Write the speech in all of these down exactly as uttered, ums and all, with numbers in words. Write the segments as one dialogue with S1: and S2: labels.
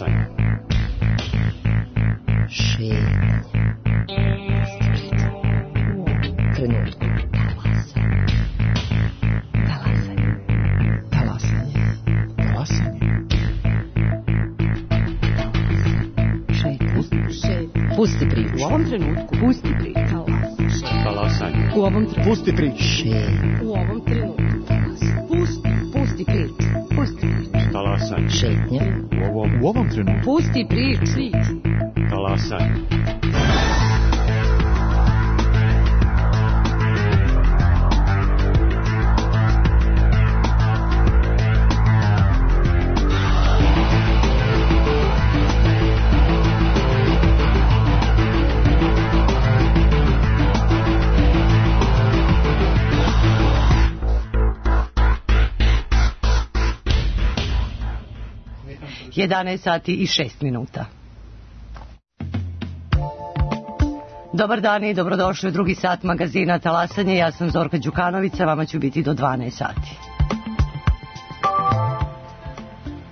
S1: Talasanje.
S2: Šetnja. Trenutku. Talasanje. Talasanje.
S3: Talasanje.
S2: Šetnja. Pusti priču.
S4: U ovom trenutku. Pusti priču.
S1: Talasanje.
S4: U ovom trenutku.
S3: Pusti priču.
S2: Šetnja.
S4: U ovom trenutku. Pusti. Pusti priču. Pusti priču.
S1: Talasanje.
S2: Šetnja.
S3: U ovom, u ovom trenutku.
S4: Pusti priču.
S1: Talasanje.
S4: jedanaest sati i šest minuta. Dobar dan i dobrodošli u drugi sat magazina Talasanje. Ja sam Zorka Đukanovića, vama ću biti do dvanaest sati.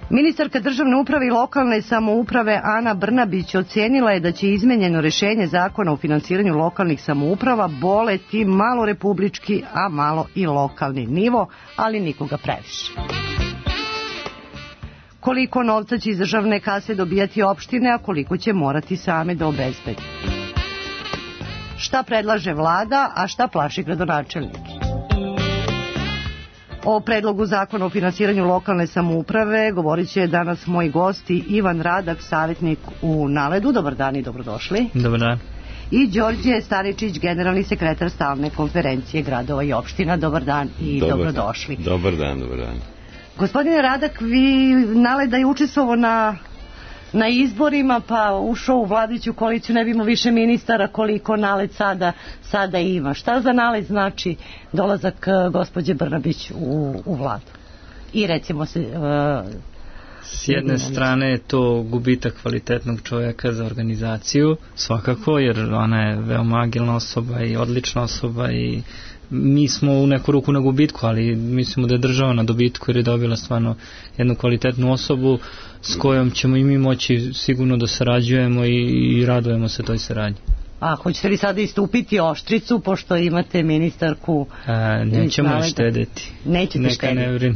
S4: Ministarka državne uprave i lokalne samouprave Ana Brnabić ocenila je da će izmenjeno rešenje zakona o finansiranju lokalnih samouprava boleti malo republički, a malo i lokalni nivo, ali nikoga previše. Koliko novca će iz državne kase dobijati opštine, a koliko će morati same da obezbedi. Šta predlaže vlada, a šta plaši gradonačelnike? O predlogu zakona o finansiranju lokalne samouprave govorit će danas moji gosti Ivan Radak, savjetnik u Naledu. Dobar dan i dobrodošli.
S5: Dobar dan.
S4: I Đorđe Staričić, generalni sekretar stalne konferencije gradova i opština. Dobar dan i
S6: dobar,
S4: dobrodošli.
S6: Dobar dan, dobar dan.
S4: Gospodine Radak, vi Naleda je učestvovao na, na izborima, pa ušao u vladajuću koaliciju, ne bi imao više ministara koliko Naled sada, sada ima. Šta za Naled znači dolazak gospođe Brnabić u, u vladu? I recimo se... Uh,
S5: S jedne strane je to gubitak kvalitetnog čovjeka za organizaciju, svakako, jer ona je veoma agilna osoba i odlična osoba i mi smo u neku ruku na gubitku, ali mislimo da je država na dobitku jer je dobila stvarno jednu kvalitetnu osobu s kojom ćemo i mi moći sigurno da sarađujemo i, i radujemo se toj saradnji.
S4: A hoćete li sada istupiti oštricu, pošto imate ministarku?
S5: A, nećemo je štedeti.
S4: Nećete
S5: Neka
S4: štedeti.
S5: ne vrine.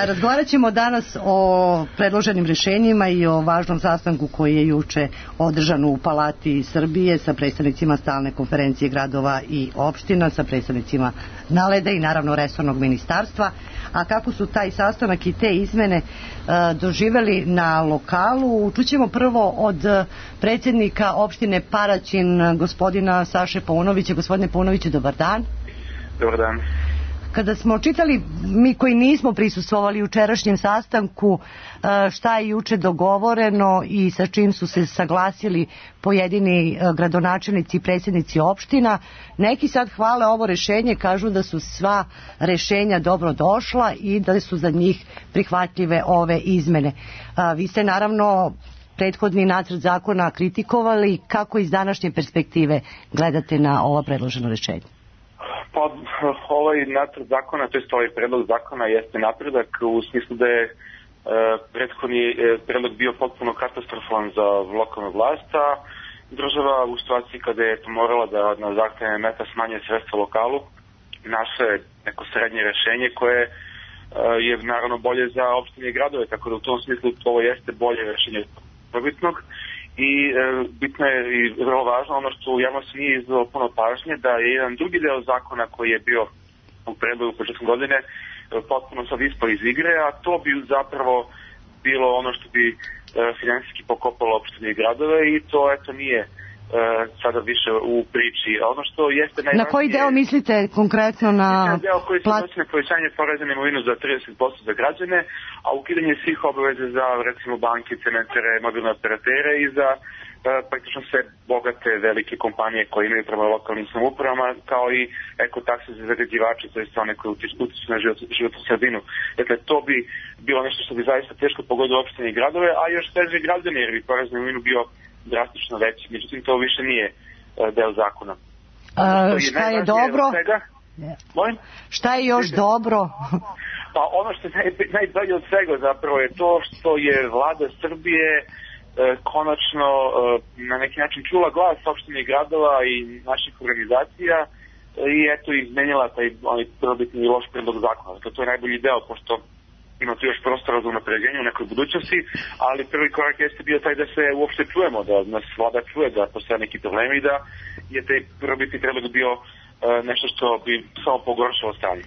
S4: Razgovarat ćemo danas o predloženim rešenjima i o važnom sastanku koji je juče održan u Palati Srbije sa predstavnicima stalne konferencije gradova i opština, sa predstavnicima Naleda i naravno resornog ministarstva. A kako su taj sastanak i te izmene uh, doživeli na lokalu, čućemo prvo od predsjednika opštine Paraćin, gospodina Saše Paunovića. Gospodine Paunoviću, dobar dan.
S7: Dobar dan.
S4: Kada smo čitali, mi koji nismo prisustvovali jučerašnjem sastanku, šta je juče dogovoreno i sa čim su se saglasili pojedini gradonačelnici i predsjednici opština, neki sad hvale ovo rešenje, kažu da su sva rešenja dobro došla i da su za njih prihvatljive ove izmene. Vi ste naravno prethodni nacrt zakona kritikovali. Kako iz današnje perspektive gledate na ova predloženo rešenje?
S7: Pa ovaj nacrt zakona, to je ovaj predlog zakona jeste napredak u smislu da je e, prethodni e, predlog bio potpuno katastrofalan za lokalnu vlast, a država u situaciji kada je morala da na zahtevne meta smanje sredstva lokalu, naše neko srednje rešenje koje e, je naravno bolje za opštine i gradove, tako da u tom smislu ovo jeste bolje rešenje probitnog. I e, bitno je i vrlo važno ono što u javnosti nije izdalo puno pažnje, da je jedan drugi deo zakona koji je bio u predlogu početkom godine e, potpuno sad ispao iz igre, a to bi zapravo bilo ono što bi e, finansijski pokopalo opštine i gradove i to eto nije e, sada više u priči. A ono što jeste najvažnije...
S4: Na koji deo mislite konkretno na...
S7: Deo koji se odnosi na povećanje poreza na imovinu za trideset posto za građane, a ukidanje svih obaveza za recimo banke, cementere, mobilne operatere i za e, praktično sve bogate velike kompanije koje imaju prema lokalnim samoupravama, kao i ekotakse za zagađivače, to je one koje utiču na život, životnu sredinu. Dakle, to bi bilo nešto što bi zaista teško pogodilo opštine i gradove, a još teže građane, jer bi porez na imovinu bio drastično veći. Međutim, to više nije e, deo zakona.
S4: A, šta je dobro?
S7: Svega,
S4: Yeah. Šta je još dobro?
S7: Pa ono što je naj, najbolje od svega zapravo je to što je vlada Srbije e, konačno e, na neki način čula glas opštine gradova i naših organizacija e, i eto izmenila taj onaj prvobitni loš predlog zakona. Dakle, to je najbolji deo, pošto ima tu još prostora za unapređenje u nekoj budućnosti, ali prvi korak jeste bio taj da se uopšte čujemo, da nas vlada čuje da postoje neki problemi i da je taj prvobitni predlog bio e, nešto što bi samo pogoršalo stanje.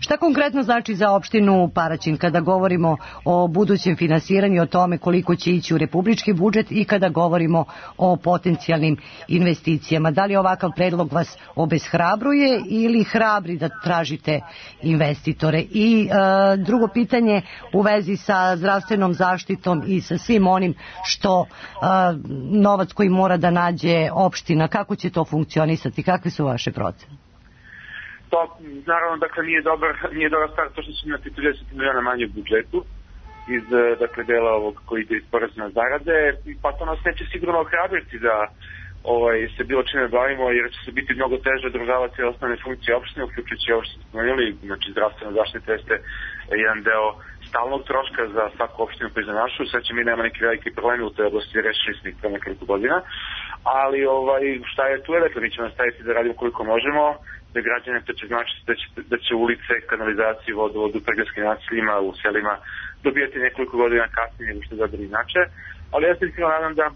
S4: Šta konkretno znači za opštinu Paraćin kada govorimo o budućem finansiranju, o tome koliko će ići u republički budžet i kada govorimo o potencijalnim investicijama? Da li ovakav predlog vas obeshrabruje ili hrabri da tražite investitore? I e, drugo pitanje u vezi sa zdravstvenom zaštitom i sa svim onim što e, novac koji mora da nađe opština, kako će to funkcionisati, kakve su vaše procene?
S7: To, naravno, dakle, nije dobar, nije dobar stvar to što će imati trideset miliona manje u budžetu iz, dakle, dela ovog koji ide iz poreza na zarade, pa to nas neće sigurno ohrabriti da ovaj, se bilo čime bavimo, jer će se biti mnogo teže održavati osnovne funkcije opštine, uključujući ovo što smo spomenuli, znači zdravstvena zaštita jeste jedan deo stalnog troška za svaku opštinu pa i za našu. Sad će mi nema neki veliki problemi u toj oblasti, rešili smo ih pre nekoliko godina, ali ovaj, šta je tu je, dakle, mi ćemo nastaviti da radimo koliko možemo, da građane to će znači da će, da će ulice, kanalizacije, vodovod u pregradskim naseljima, u selima dobijati nekoliko godina kasnije nego što je dobro inače, ali ja se iskreno nadam da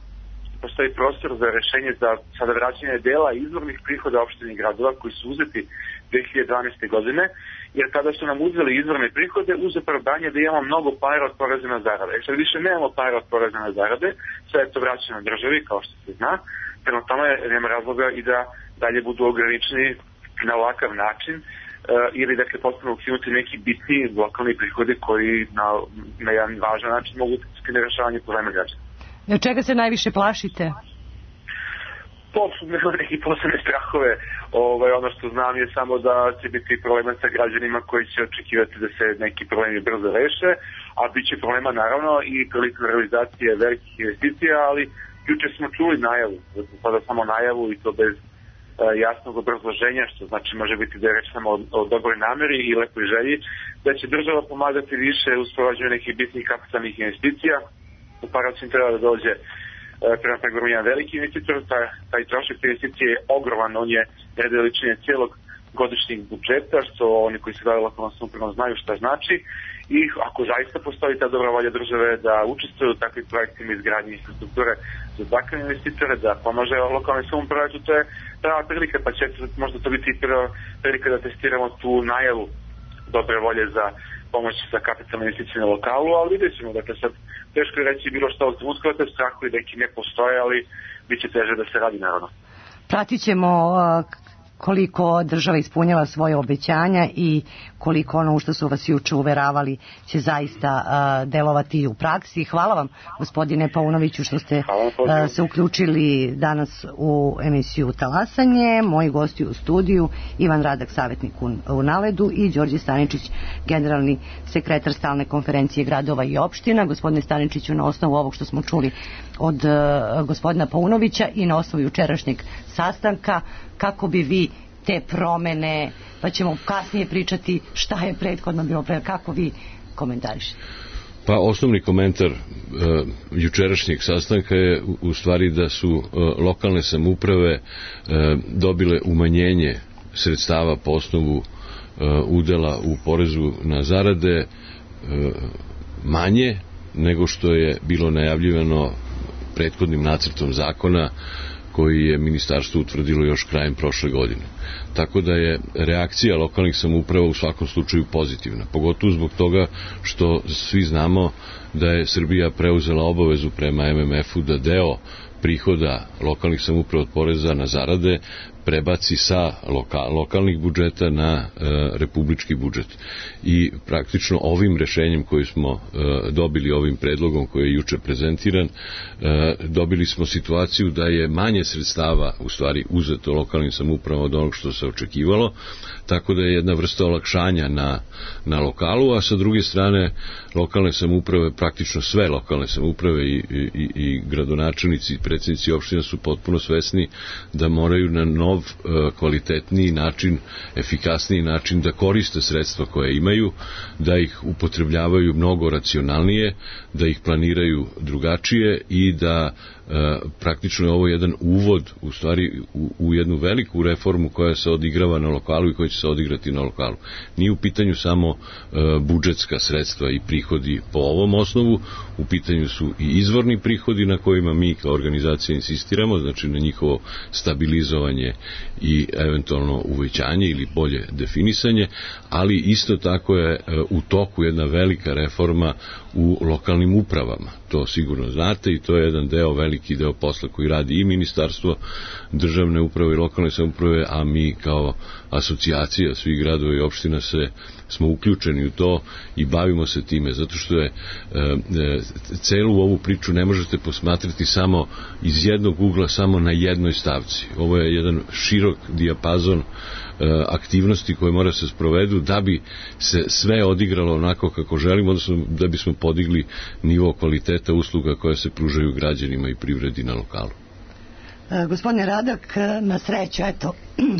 S7: postoji prostor za rešenje za sada vraćanje dela izvornih prihoda opštine i gradova koji su uzeti dve hiljade dvanaeste. godine, jer kada su nam uzeli izvorne prihode uz opravdanje da imamo mnogo para od poreza na zarade. E sad više nemamo para od poreza na zarade, sve je to vraćeno državi, kao što se zna, prema tome nema razloga i da dalje budu ograničeni na ovakav način uh, ili dakle potpuno ukinuti neki bitni lokalni prihodi koji na, na jedan važan način mogu utjecati na rešavanje problema građana.
S4: Od čega se najviše plašite?
S7: Poput nema neki posebne strahove. Ovaj, ono što znam je samo da će biti problema sa građanima koji će očekivati da se neki problemi brzo reše, a bit će problema naravno i prilikom realizacije velikih investicija, ali juče smo čuli najavu, sada samo najavu i to bez jasnog obrazloženja, što znači može biti da je reč samo o, o dobroj nameri i lepoj želji, da će država pomagati više u sprovođenju nekih bitnih kapitalnih investicija. U Paraćin treba da dođe e, prema pregovoru jedan veliki investitor, taj, taj trošak investicije je ogroman, on je red veličine cijelog godišnjeg budžeta, što oni koji se bave lokalnom samoupravom znaju šta znači, i ako zaista postoji ta dobra volja države da učestvuju u takvim projektima izgradnje infrastrukture za takve investitore, da pomaže lokalne samouprave, to je prava prilika, pa će možda to biti prva prilika da testiramo tu najavu dobre volje za pomoć za kapitalne investicije na lokalu, ali vidjet ćemo, dakle sad teško je reći bilo što od trenutka, te strahovi neki ne postoje, ali bit će teže da se radi naravno.
S4: Pratit ćemo koliko država ispunjava svoje obećanja i koliko ono u što su vas juče uveravali će zaista uh, delovati u praksi. Hvala vam, gospodine Paunoviću, što ste uh, se uključili danas u emisiju Talasanje. Moji gosti u studiju, Ivan Radak, savjetnik u, u Naledu, i Đorđe Staničić, generalni sekretar Stalne konferencije gradova i opština. Gospodine Staničiću, na osnovu ovog što smo čuli od uh, gospodina Paunovića i na osnovu jučerašnjeg sastanka, kako bi vi te promene, pa ćemo kasnije pričati šta je prethodno bilo pre, kako vi komentarišete?
S6: Pa osnovni komentar uh, jučerašnjeg sastanka je u, u stvari da su uh, lokalne samouprave uh, dobile umanjenje sredstava po osnovu uh, udela u porezu na zarade uh, manje nego što je bilo najavljivano prethodnim nacrtom zakona koji je ministarstvo utvrdilo još krajem prošle godine. Tako da je reakcija lokalnih samouprava u svakom slučaju pozitivna. Pogotovo zbog toga što svi znamo da je Srbija preuzela obavezu prema M M F-u da deo prihoda lokalnih samouprava od poreza na zarade prebaci sa lokal, lokalnih budžeta na e, republički budžet. I praktično ovim rešenjem koje smo e, dobili, ovim predlogom koji je juče prezentiran, e, dobili smo situaciju da je manje sredstava u stvari uzeto lokalnim samoupravama od onog što se očekivalo, tako da je jedna vrsta olakšanja na, na lokalu, a sa druge strane lokalne samouprave, praktično sve lokalne samouprave i, i, i gradonačelnici i predsjednici opština su potpuno svesni da moraju na novi nov, kvalitetniji način, efikasniji način da koriste sredstva koje imaju, da ih upotrebljavaju mnogo racionalnije, da ih planiraju drugačije i da e, praktično je ovo jedan uvod u stvari u, u jednu veliku reformu koja se odigrava na lokalu i koja će se odigrati na lokalu. Nije u pitanju samo e, budžetska sredstva i prihodi po ovom osnovu, u pitanju su i izvorni prihodi na kojima mi kao organizacija insistiramo, znači na njihovo stabilizovanje i eventualno uvećanje ili bolje definisanje, ali isto tako je e, u toku jedna velika reforma u lokalnim upravama. To sigurno znate i to je jedan deo, veliki deo posla koji radi i Ministarstvo državne uprave i lokalne samouprave, a mi kao asocijacija svih gradova i opština se, smo uključeni u to i bavimo se time, zato što je e, e, celu ovu priču ne možete posmatrati samo iz jednog ugla, samo na jednoj stavci. Ovo je jedan širok dijapazon aktivnosti koje mora se sprovedu da bi se sve odigralo onako kako želimo, odnosno da bismo podigli nivo kvaliteta usluga koje se pružaju građanima i privredi na lokalu.
S4: E, gospodine Radak, na sreću, eto,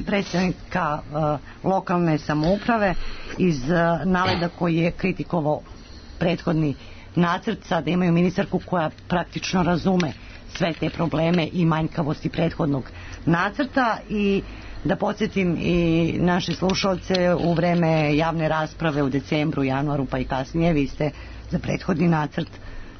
S4: predstavnika e, lokalne samouprave iz e, naleda koji je kritikovao prethodni nacrt, sada imaju ministarku koja praktično razume sve te probleme i manjkavosti prethodnog nacrta. I da podsjetim i naše slušalce, u vreme javne rasprave u decembru, januaru pa i kasnije, vi ste za prethodni nacrt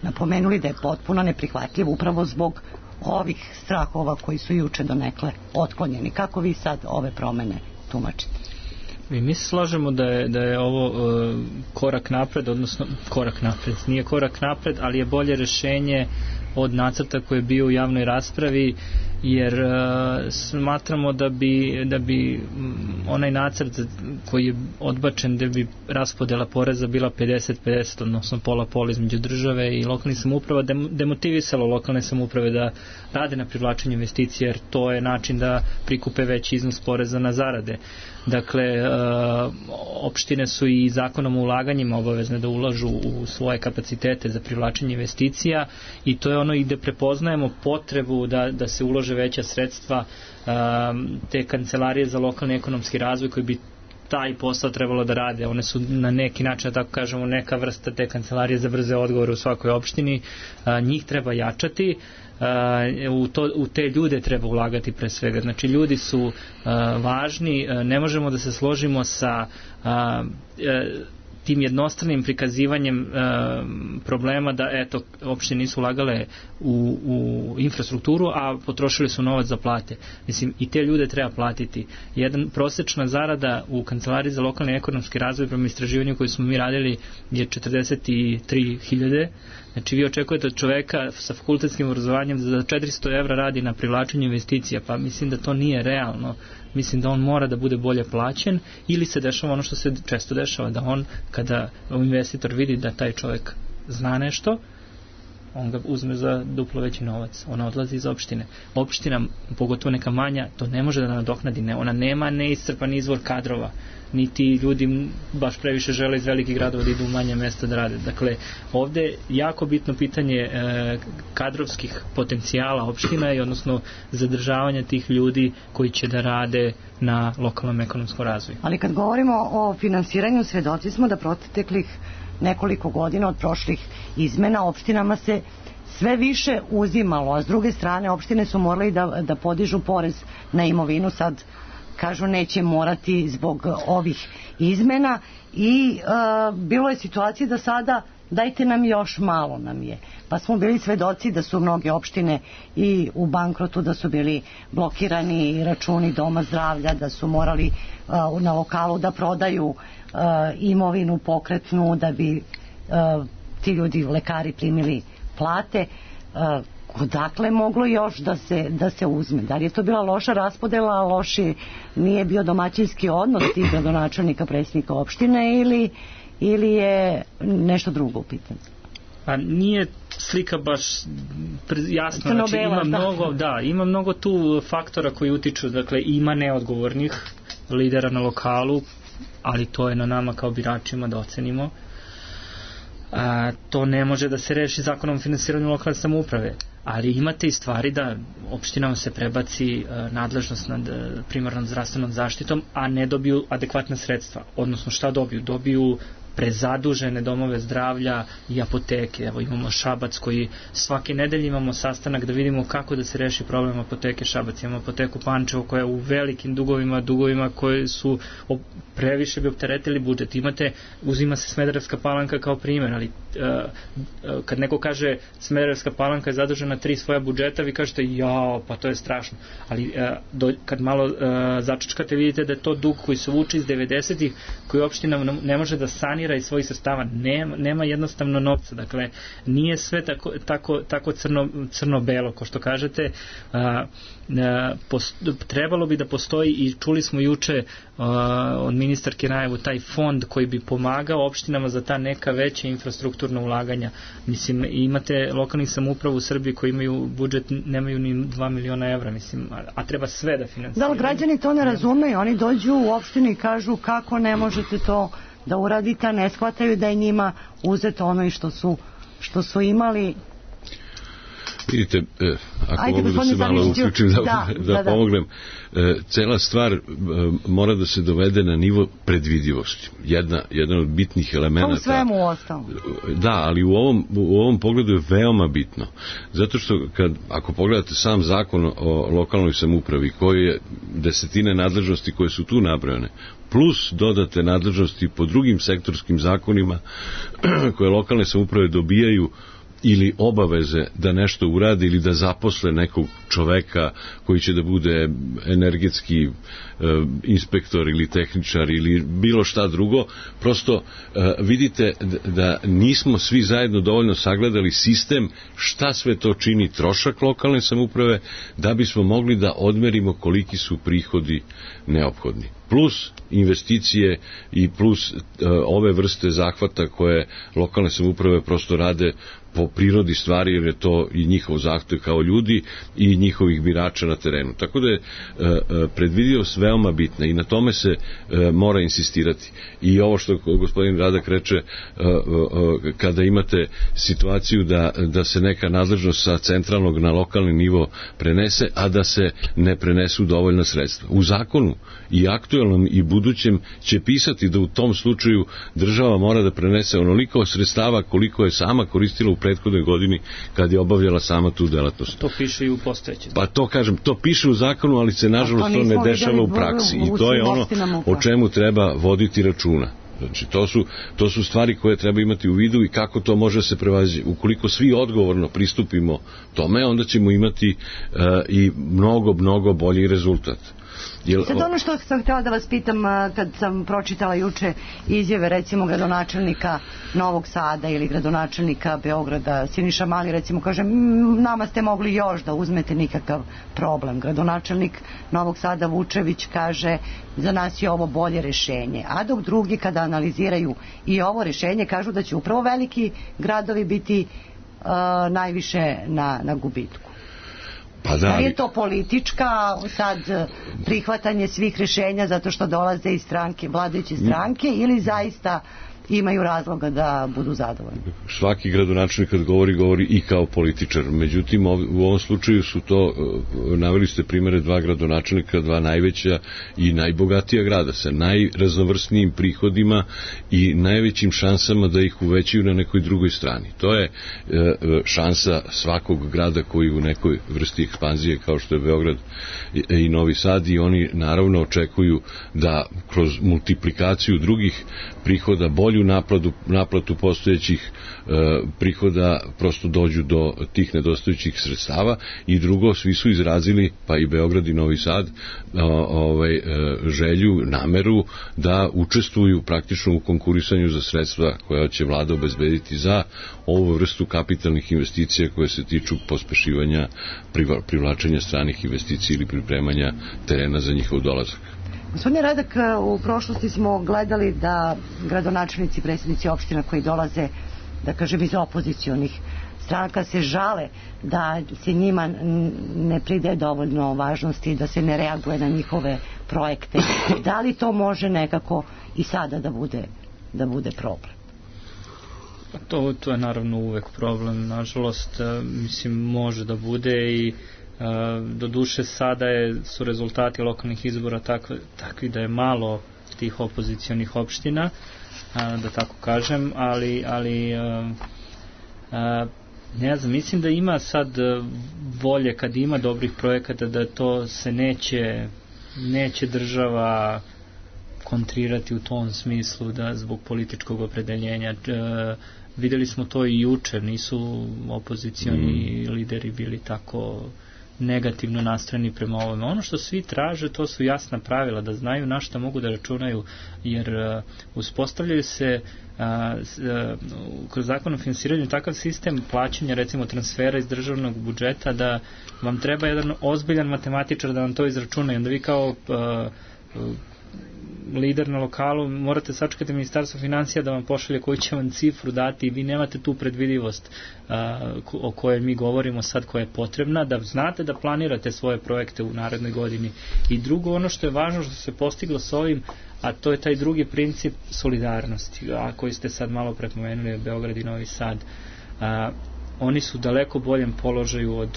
S4: napomenuli da je potpuno neprihvatljiv upravo zbog ovih strahova koji su juče donekle otklonjeni. Kako vi sad ove promene tumačite?
S5: Mi, mi se slažemo da je, da je ovo uh, korak napred, odnosno korak napred, nije korak napred, ali je bolje rešenje od nacrta koji je bio u javnoj raspravi, jer uh, smatramo da bi, da bi onaj nacrt koji je odbačen, da bi raspodela poreza bila pedeset pedeset, odnosno pola pola između države i lokalnih samouprava, demotivisalo lokalne samouprave da rade na privlačenju investicija, jer to je način da prikupe veći iznos poreza na zarade. Dakle, opštine su i zakonom o ulaganjima obavezne da ulažu u svoje kapacitete za privlačenje investicija i to je ono i gde prepoznajemo potrebu da, da se ulože veća sredstva, te kancelarije za lokalni ekonomski razvoj koji bi taj posao trebalo da rade. One su na neki način, da tako kažemo, neka vrsta te kancelarije za brze odgovore u svakoj opštini. Njih treba jačati. U, to, u te ljude treba ulagati pre svega. Znači, ljudi su uh, važni, uh, ne možemo da se složimo sa uh, uh, tim jednostranim prikazivanjem uh, problema da eto, opštine nisu ulagale u, u infrastrukturu, a potrošili su novac za plate. Mislim, i te ljude treba platiti. Jedan prosečna zarada u Kancelariji za lokalni ekonomski razvoj prema istraživanju koji smo mi radili je četrdeset tri hiljade. Znači, vi očekujete od čoveka sa fakultetskim obrazovanjem da za četiristo evra radi na privlačenju investicija, pa mislim da to nije realno. Mislim da on mora da bude bolje plaćen, ili se dešava ono što se često dešava, da on, kada investitor vidi da taj čovek zna nešto, on ga uzme za duplo veći novac. Ona odlazi iz opštine. Opština, pogotovo neka manja, to ne može da nadoknadi. Ne, ona nema neiscrpan izvor kadrova. Niti ljudi baš previše žele iz velikih gradova da idu u manje mesta da rade. Dakle, ovde je jako bitno pitanje e, kadrovskih potencijala opština i odnosno zadržavanja tih ljudi koji će da rade na lokalnom ekonomskom razvoju.
S4: Ali kad govorimo o finansiranju, svedoci smo da proteklih nekoliko godina od prošlih izmena opštinama se sve više uzimalo, a s druge strane opštine su morali da, da podižu porez na imovinu. Sad kažu neće morati zbog ovih izmena i uh, bilo je situacija da sada dajte nam još malo nam je. Pa smo bili svedoci da su mnoge opštine i u bankrotu, da su bili blokirani računi doma zdravlja, da su morali uh, na lokalu da prodaju uh, imovinu pokretnu da bi uh, ti ljudi, lekari, primili plate. Uh, odakle moglo još da se, da se uzme? Da li je to bila loša raspodela, loši nije bio domaćinski odnos tih gradonačelnika, predsjednika opštine, ili, ili je nešto drugo u pitanju?
S5: A nije slika baš jasna, znači ima mnogo, da, ima mnogo tu faktora koji utiču, dakle ima neodgovornih lidera na lokalu, ali to je na nama kao biračima da ocenimo. A, to ne može da se reši zakonom o finansiranju lokalne samouprave. ali imate i stvari da opštinama se prebaci uh, nadležnost nad uh, primarnom zdravstvenom zaštitom, a ne dobiju adekvatna sredstva. Odnosno šta dobiju? Dobiju prezadužene domove zdravlja i apoteke. Evo imamo Šabac koji svake nedelje imamo sastanak da vidimo kako da se reši problem apoteke Šabac. Imamo apoteku Pančevo koja je u velikim dugovima, dugovima koje su previše bi opteretili budžet. Imate, uzima se Smederevska Palanka kao primjer, ali uh, kad neko kaže Smederevska Palanka je zadužena tri svoja budžeta, vi kažete jao, pa to je strašno. Ali uh, do, kad malo uh, začačkate vidite da je to dug koji se vuče iz devedesetih, koji opština ne može da sanira iz svojih sredstava, nema, nema jednostavno novca, dakle nije sve tako, tako, tako crno, crno-belo, ko što kažete. A, a, post, trebalo bi da postoji, i čuli smo juče a, od ministarke najavu, taj fond koji bi pomagao opštinama za ta neka veća infrastrukturna ulaganja. Mislim, imate lokalnih samouprava u Srbiji koji imaju budžet, nemaju ni dva miliona evra, mislim, a, a treba sve da finansiraju.
S4: Da, ali građani to ne razumeju, oni dođu u opštinu i kažu kako ne možete to da uradite, ne shvataju da je njima uzeto ono i što su, što su imali.
S6: Vidite, eh, ako Ajde, mogu da se malo uključim da, da, da, da pomognem, eh, cela stvar eh, mora da se dovede na nivo predvidivosti. Jedna, jedan od bitnih elemenata.
S4: To u svemu ostalo.
S6: Da, ali u ovom, u ovom pogledu je veoma bitno. Zato što kad, ako pogledate sam zakon o lokalnoj samoupravi, koji je desetine nadležnosti koje su tu nabrojane, plus dodate nadležnosti po drugim sektorskim zakonima koje lokalne samouprave dobijaju ili obaveze da nešto uradi ili da zaposle nekog čoveka koji će da bude energetski e, inspektor ili tehničar ili bilo šta drugo, prosto e, vidite da nismo svi zajedno dovoljno sagledali sistem šta sve to čini trošak lokalne samouprave da bismo mogli da odmerimo koliki su prihodi neophodni. Plus investicije i plus e, ove vrste zahvata koje lokalne samouprave prosto rade po prirodi stvari, jer je to i njihov zahtev kao ljudi i njihovih birača na terenu. Tako da je e, predvidivost veoma bitna i na tome se e, mora insistirati. I ovo što gospodin Radak reče, e, e, kada imate situaciju da, da se neka nadležnost sa centralnog na lokalni nivo prenese, a da se ne prenesu dovoljna sredstva. U zakonu i aktuelnom i budućem će pisati da u tom slučaju država mora da prenese onoliko sredstava koliko je sama koristila u prethodnoj godini kad je obavljala sama tu delatnost.
S5: To piše i u postojećem.
S6: Pa to kažem, to piše u zakonu, ali se nažalost to, to ne dešava u praksi i to je ono o čemu treba voditi računa. Znači, to su, to su stvari koje treba imati u vidu i kako to može se prevazići. Ukoliko svi odgovorno pristupimo tome, onda ćemo imati uh, i mnogo, mnogo bolji rezultat.
S4: Jel, sad ono što sam htjela da vas pitam, kad sam pročitala juče izjave recimo gradonačelnika Novog Sada ili gradonačelnika Beograda, Siniša Mali recimo kaže nama ste mogli još da uzmete, nikakav problem. Gradonačelnik Novog Sada Vučević kaže za nas je ovo bolje rešenje, a dok drugi kada analiziraju i ovo rešenje kažu da će upravo veliki gradovi biti uh, najviše na, na gubitku.
S6: Pa da,
S4: da li je to politička sad prihvatanje svih rešenja zato što dolaze iz stranke, vladajuće stranke, ili zaista imaju razloga da budu zadovoljni?
S6: Svaki gradonačelnik kad govori, govori i kao političar. Međutim, u ovom slučaju su to, naveli ste primere dva gradonačelnika, dva najveća i najbogatija grada sa najraznovrsnijim prihodima i najvećim šansama da ih uvećaju na nekoj drugoj strani. To je šansa svakog grada koji u nekoj vrsti ekspanzije kao što je Beograd i Novi Sad, i oni naravno očekuju da kroz multiplikaciju drugih prihoda, bolju naplatu, naplatu postojećih e, prihoda, prosto dođu do tih nedostajućih sredstava. I drugo, svi su izrazili, pa i Beograd i Novi Sad, o, ovaj, e, želju, nameru da učestvuju praktično u konkurisanju za sredstva koja će vlada obezbediti za ovu vrstu kapitalnih investicija koje se tiču pospešivanja privlačenja stranih investicija ili pripremanja terena za njihov dolazak.
S4: Gospodine Radak, u prošlosti smo gledali da gradonačelnici, predsjednici opština koji dolaze, da kažem, iz opozicionih stranaka se žale da se njima ne pridaje dovoljno važnosti, da se ne reaguje na njihove projekte. Da li to može nekako i sada da bude, da bude problem?
S5: To, to je naravno uvek problem, nažalost, mislim, može da bude i do duše sada je, su rezultati lokalnih izbora takvi, takvi da je malo tih opozicionih opština, da tako kažem, ali, ali ne znam, mislim da ima sad volje kad ima dobrih projekata da to se neće, neće država kontrirati u tom smislu da zbog političkog opredeljenja. E, videli smo to i juče, nisu opozicioni mm. lideri bili tako negativno nastrojeni prema ovome. Ono što svi traže, to su jasna pravila, da znaju na šta mogu da računaju, jer uh, uspostavljaju se uh, uh, kroz zakon o finansiranju takav sistem plaćanja, recimo transfera iz državnog budžeta, da vam treba jedan ozbiljan matematičar da vam to izračuna i onda vi kao uh, uh, lider na lokalu morate sačekati ministarstvo financija da vam pošalje koju će vam cifru dati i vi nemate tu predvidivost a, o kojoj mi govorimo sad, koja je potrebna, da znate da planirate svoje projekte u narednoj godini. I drugo, ono što je važno što se postiglo s ovim, a to je taj drugi princip solidarnosti, a koji ste sad malo prepomenuli, Beograd i Novi Sad. A, oni su daleko boljem položaju od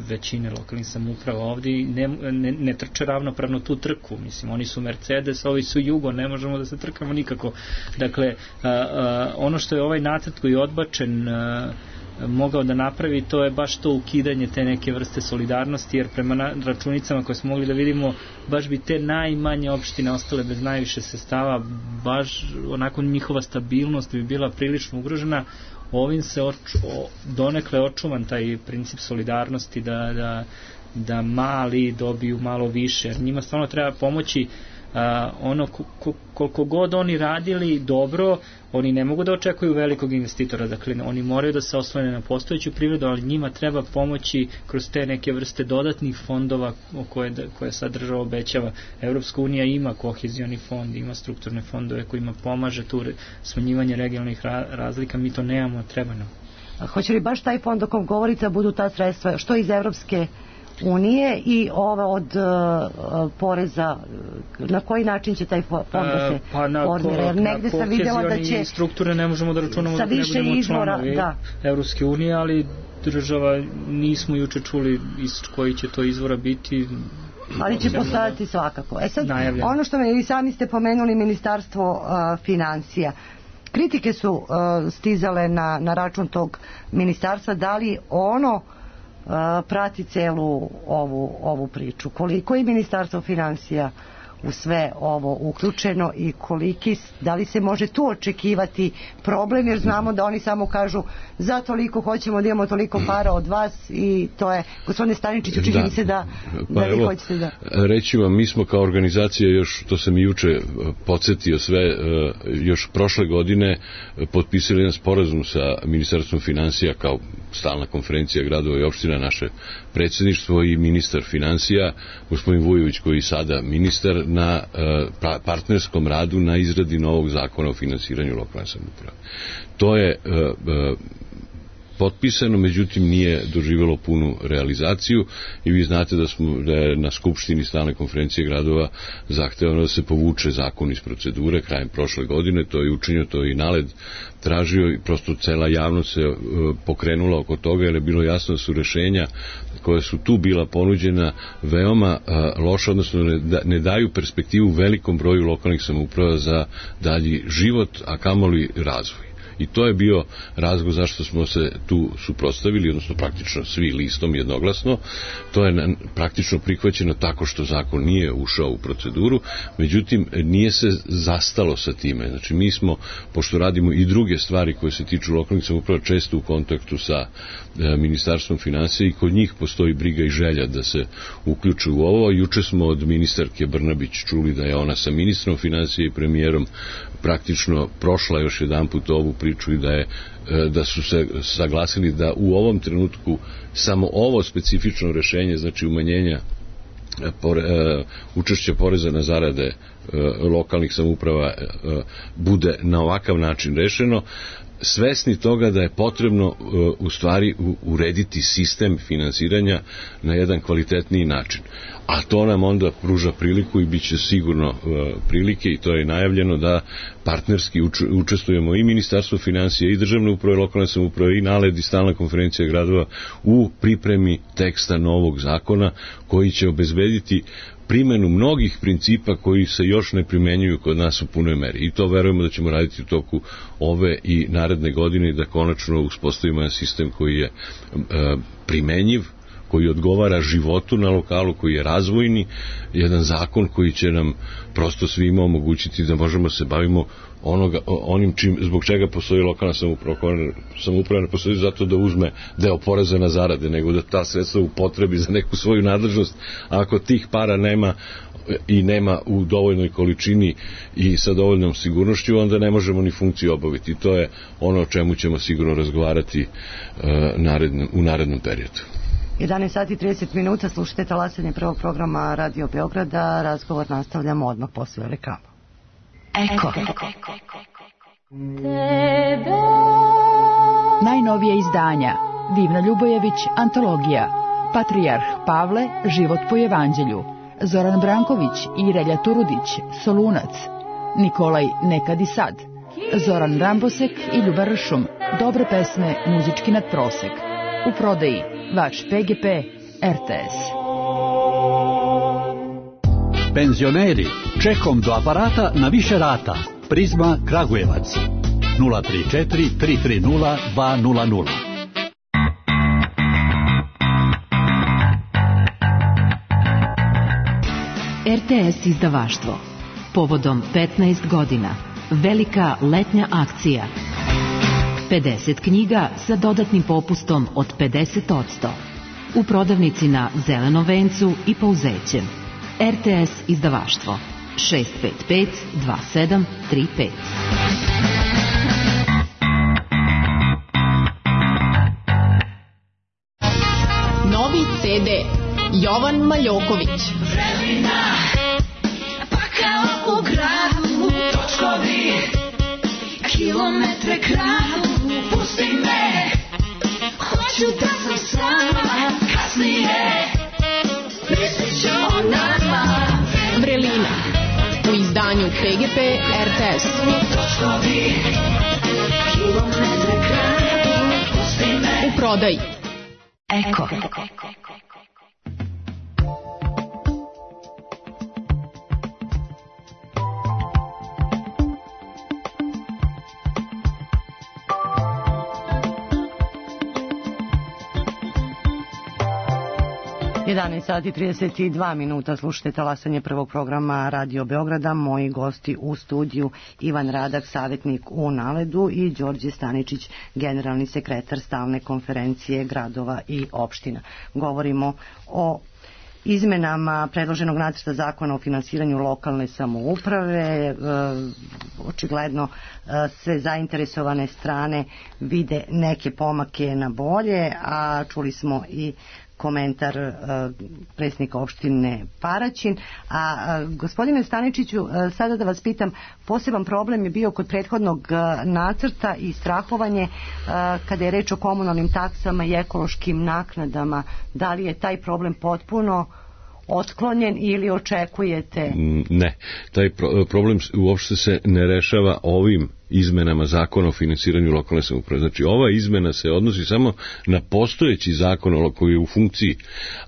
S5: većine lokalnih samouprava ovdje i ne, ne, ne trče ravnopravno tu trku. Mislim, oni su Mercedes, ovi su Jugo, ne možemo da se trkamo nikako. Dakle, a, a, ono što je ovaj nacrt koji je odbačen a, mogao da napravi, to je baš to ukidanje te neke vrste solidarnosti, jer prema na, računicama koje smo mogli da vidimo, baš bi te najmanje opštine ostale bez najviše sredstava, baš onako njihova stabilnost bi bila prilično ugrožena. Ovim se oču, donekle očuvan taj princip solidarnosti da, da, da mali dobiju malo više, jer njima stvarno treba pomoći. A, ono ko, koliko god oni radili dobro, oni ne mogu da očekuju velikog investitora, dakle oni moraju da se oslone na postojeću privredu, ali njima treba pomoći kroz te neke vrste dodatnih fondova o koje, koje sad država obećava. Evropska unija ima kohezioni fond, ima strukturne fondove kojima pomaže tu smanjivanje regionalnih razlika, mi to nemamo, treba nam.
S4: A hoće li baš taj fond o kom govorite budu ta sredstva, što iz Evropske unije i ova od uh, poreza, na koji način će taj fond da se
S5: pa
S4: formira, jer negde sam vidjela da će
S5: strukture ne možemo da računamo
S4: sa
S5: da ne
S4: više
S5: budemo
S4: izvora,
S5: članovi
S4: da.
S5: Evropske unije, ali država nismo juče čuli iz koji će to izvora biti,
S4: ali će postojati svakako. E sad,
S5: najavljeno. Ono
S4: što me, vi sami ste pomenuli Ministarstvo uh, financija, kritike su uh, stizale na, na račun tog ministarstva, da li ono Uh, prati celu ovu, ovu priču. Koliko je Ministarstvo financija u sve ovo uključeno i koliki, da li se može tu očekivati problem, jer znamo da oni samo kažu za toliko hoćemo da imamo toliko para od vas i to je, gospodine Staničiću, čini mi se da,
S6: pa
S4: da vi
S6: evo,
S4: hoćete da...
S6: Reći vam, mi smo kao organizacija još, to sam i juče podsjetio sve, još prošle godine potpisali jedan sporazum sa Ministarstvom financija kao stalna konferencija gradova i opština, naše predsjedništvo i ministar financija, gospodin Vujović, koji je sada ministar, na uh, partnerskom radu na izradi novog zakona o finansiranju lokalne samouprave. To je uh, uh, potpisano, međutim nije doživjelo punu realizaciju i vi znate da smo da je na skupštini stalne konferencije gradova zahtevano da se povuče zakon iz procedure krajem prošle godine, to je učinjeno, to je i NALED tražio i prosto cela javnost se uh, pokrenula oko toga, jer je bilo jasno da su rešenja koja su tu bila ponuđena veoma uh, loša, odnosno ne, da, ne daju perspektivu velikom broju lokalnih samouprava za dalji život, a kamoli razvoj. I to je bio razlog zašto smo se tu suprotstavili, odnosno praktično svi listom jednoglasno. To je praktično prihvaćeno tako što zakon nije ušao u proceduru, međutim nije se zastalo sa time. Znači mi smo, pošto radimo i druge stvari koje se tiču lokalnih samouprava, često u kontaktu sa e, Ministarstvom financija i kod njih postoji briga i želja da se uključe u ovo. Juče smo od ministarke Brnabić čuli da je ona sa ministrom financija i premijerom praktično prošla još jedan put ovu priču i da je da su se saglasili da u ovom trenutku samo ovo specifično rešenje, znači umanjenja pore, učešća poreza na zarade lokalnih samouprava bude na ovakav način rešeno. svesni toga da je potrebno uh, u stvari u, urediti sistem finansiranja na jedan kvalitetniji način. A to nam onda pruža priliku i bit će sigurno uh, prilike, i to je najavljeno, da partnerski uč, učestvujemo i Ministarstvo financija i Državne uprave, lokalne samouprave i NALED i Stalna konferencija gradova u pripremi teksta novog zakona koji će obezbediti primenu mnogih principa koji se još ne primenjuju kod nas u punoj meri. I to verujemo da ćemo raditi u toku ove i naredne godine i da konačno uspostavimo jedan sistem koji je e, primenjiv, koji odgovara životu na lokalu, koji je razvojni, jedan zakon koji će nam prosto svima omogućiti da možemo se bavimo onoga, onim čim, zbog čega postoji lokalna samouprava. Samouprava ne postoji zato da uzme deo poreza na zarade, nego da ta sredstva upotrebi za neku svoju nadležnost. A ako tih para nema i nema u dovoljnoj količini i sa dovoljnom sigurnošću, onda ne možemo ni funkciju obaviti. I to je ono o čemu ćemo sigurno razgovarati uh, narednom, u narednom periodu.
S4: jedanaest sati i trideset minuta, slušajte talasanje prvog programa Radio Beograda. Razgovor nastavljamo odmah posle reklama. Eko.
S8: Najnovije izdanja: Divna Ljubojević, antologija, Patrijarh Pavle, život po evanđelju, Zoran Branković i Relja Turudić, Solunac, Nikolaj Nekad i sad, Zoran Rambosek i Ljuba Ršum, dobre pesme, muzički nadprosek. U prodaji vaš P G P R T S.
S9: Penzioneri, čekom do aparata na više rata. Prizma Kragujevac nula tri četiri tri tri nula dva nula nula.
S10: R T S izdavaštvo. Povodom petnaest godina. Velika letnja akcija. pedeset knjiga sa dodatnim popustom od pedeset posto. U prodavnici na Zelenom vencu i Pouzećem. R T S izdavaštvo šest pet pet dva sedam tri pet.
S11: Novi C D Jovan Maljoković.
S12: Vremena, pa kao u gradu, točkovi, kilometre kraju, pusti me, hoću da sam sama, kasnije, mislit ću o nama.
S11: Vrelina, u izdanju P G P R T S.
S12: Točkovi, kilometre kraju, pusti me.
S11: U prodaji
S4: Eko. jedanaest sati i trideset dva minuta, slušajte talasanje prvog programa Radio Beograda. Moji gosti u studiju: Ivan Radak, savjetnik u Naledu, i Đorđe Staničić, generalni sekretar Stalne konferencije gradova i opština. Govorimo o izmenama predloženog nacrta zakona o finansiranju lokalne samouprave. E, očigledno e, sve zainteresovane strane vide neke pomake na bolje, a čuli smo i komentar uh, predsjednika opštine Paraćin. A uh, gospodine Staničiću, uh, sada da vas pitam, poseban problem je bio kod prethodnog uh, nacrta i strahovanje uh, kada je reč o komunalnim taksama i ekološkim naknadama. Da li je taj problem potpuno otklonjen ili očekujete?
S6: Ne, taj pro- problem uopšte se ne rešava ovim izmenama zakona o finansiranju lokalne samouprave. Znači, ova izmena se odnosi samo na postojeći zakon koji je u funkciji,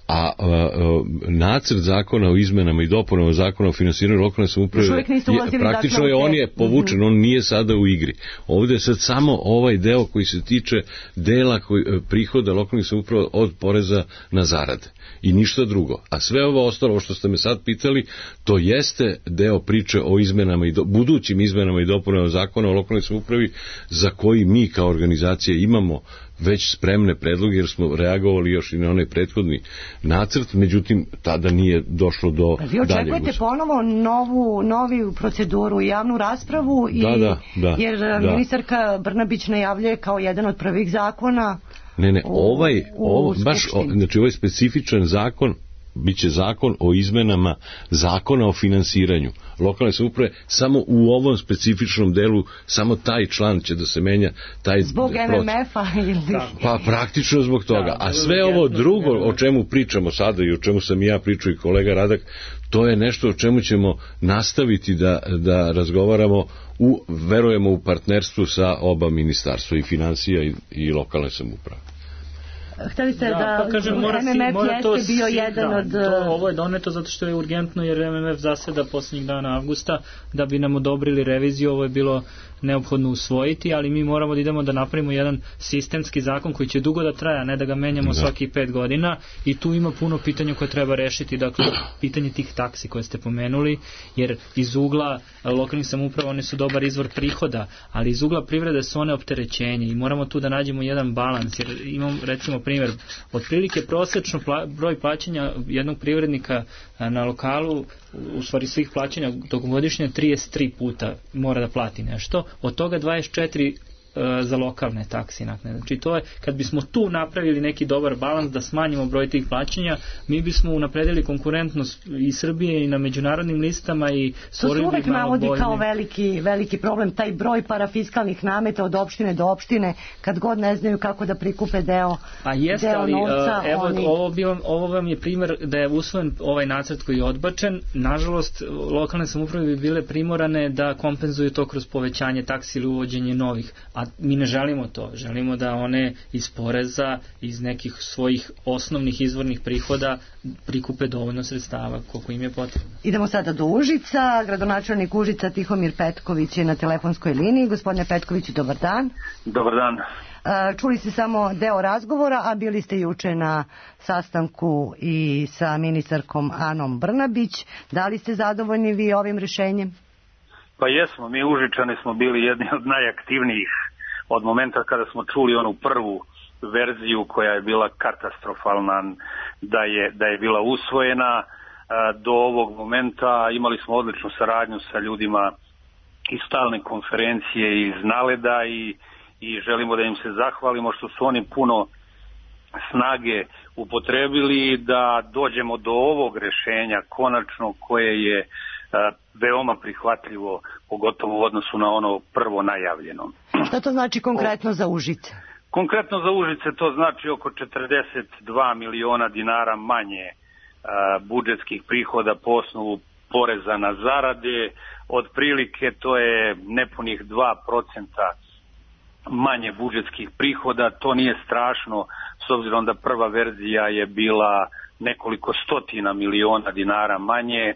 S6: a, a, a nacrt zakona o izmenama i dopunama zakona o finansiranju lokalne samouprave je, praktično je, on je povučen, on nije sada u igri. Ovde je sad samo ovaj deo koji se tiče dela koji, prihoda lokalnih samouprava od poreza na zarade i ništa drugo. A sve ovo ostalo što ste me sad pitali, to jeste deo priče o izmenama i do, budućim izmenama i dopunama zakona o lokalnoj samoupravi, za koji mi kao organizacija imamo već spremne predloge, jer smo reagovali još i na onaj prethodni nacrt, međutim tada nije došlo do daljeg.
S4: Vi očekujete ponovo novu, novu proceduru, javnu raspravu, i,
S6: da, da, da,
S4: jer
S6: da.
S4: ministarka Brnabić najavljuje kao jedan od prvih zakona.
S6: Ne, ne, ovaj,
S4: u,
S6: ovo, baš, o, znači ovaj specifičan zakon biće zakon o izmenama zakona o finansiranju lokalne samouprave, samo u ovom specifičnom delu, samo taj član će da se menja, taj
S4: zbog
S6: proces.
S4: M M F-a ili...
S6: Pa praktično zbog toga. A sve ovo drugo o čemu pričamo sada i o čemu sam i ja pričao i kolega Radak, to je nešto o čemu ćemo nastaviti da, da razgovaramo u, verujemo u partnerstvu sa oba ministarstva, i financija i, i lokalne samouprave.
S4: Hteli ste
S5: da,
S4: da
S5: pa kažem, mora
S4: M M F
S5: mora to
S4: jeste bio jedan
S5: da,
S4: od...
S5: To, ovo je doneto zato što je urgentno, jer M M F zaseda posljednjih dana avgusta da bi nam odobrili reviziju. Ovo je bilo neophodno usvojiti, ali mi moramo da idemo da napravimo jedan sistemski zakon koji će dugo da traja, ne da ga menjamo da. svaki pet godina, i tu ima puno pitanja koje treba rešiti. Dakle, pitanje tih taksi koje ste pomenuli, jer iz ugla lokalnih samouprava one su dobar izvor prihoda, ali iz ugla privrede su one opterećenje i moramo tu da nađemo jedan balans, jer imam recimo primjer, otprilike prosečno pla, broj plaćanja jednog privrednika na lokalu, u stvari svih plaćanja tokom godišnje, trideset tri puta mora da plati nešto, od toga dvadeset četiri za lokalne taksi naknade. Znači to je, kad bismo tu napravili neki dobar balans da smanjimo broj tih plaćanja, mi bismo unapredili konkurentnost i Srbije i na međunarodnim listama i
S4: stvorili bi malo bolje. To se uvek navodi kao veliki, veliki problem, taj broj parafiskalnih nameta od opštine do opštine, kad god ne znaju kako da prikupe deo,
S5: A jeste,
S4: deo
S5: ali,
S4: novca.
S5: Evo,
S4: oni...
S5: ovo, bi vam, ovo vam je primjer da je usvojen ovaj nacrt koji je odbačen. Nažalost, lokalne samouprave bi bile primorane da kompenzuju to kroz povećanje taksi ili uvođenje novih, a mi ne želimo to. Želimo da one iz poreza, iz nekih svojih osnovnih izvornih prihoda prikupe dovoljno sredstava koliko im je potrebno.
S4: Idemo sada do Užica. Gradonačelnik Užica Tihomir Petković je na telefonskoj liniji. Gospodine Petkoviću, dobar dan.
S13: Dobar dan.
S4: Čuli ste samo deo razgovora, a bili ste juče na sastanku i sa ministarkom Anom Brnabić. Da li ste zadovoljni vi ovim rešenjem?
S13: Pa jesmo, mi Užičani smo bili jedni od najaktivnijih od momenta kada smo čuli onu prvu verziju koja je bila katastrofalna, da je, da je bila usvojena. Do ovog momenta imali smo odličnu saradnju sa ljudima iz stalne konferencije iz Naleda i, i želimo da im se zahvalimo što su oni puno snage upotrebili da dođemo do ovog rešenja konačno, koje je veoma prihvatljivo, pogotovo u odnosu na ono prvo najavljeno.
S4: Šta to znači konkretno za Užice?
S13: Konkretno za Užice to znači oko četrdeset dva miliona dinara manje a, budžetskih prihoda po osnovu poreza na zarade. Otprilike to je nepunih dva procenta manje budžetskih prihoda. To nije strašno, s obzirom da prva verzija je bila nekoliko stotina miliona dinara manje.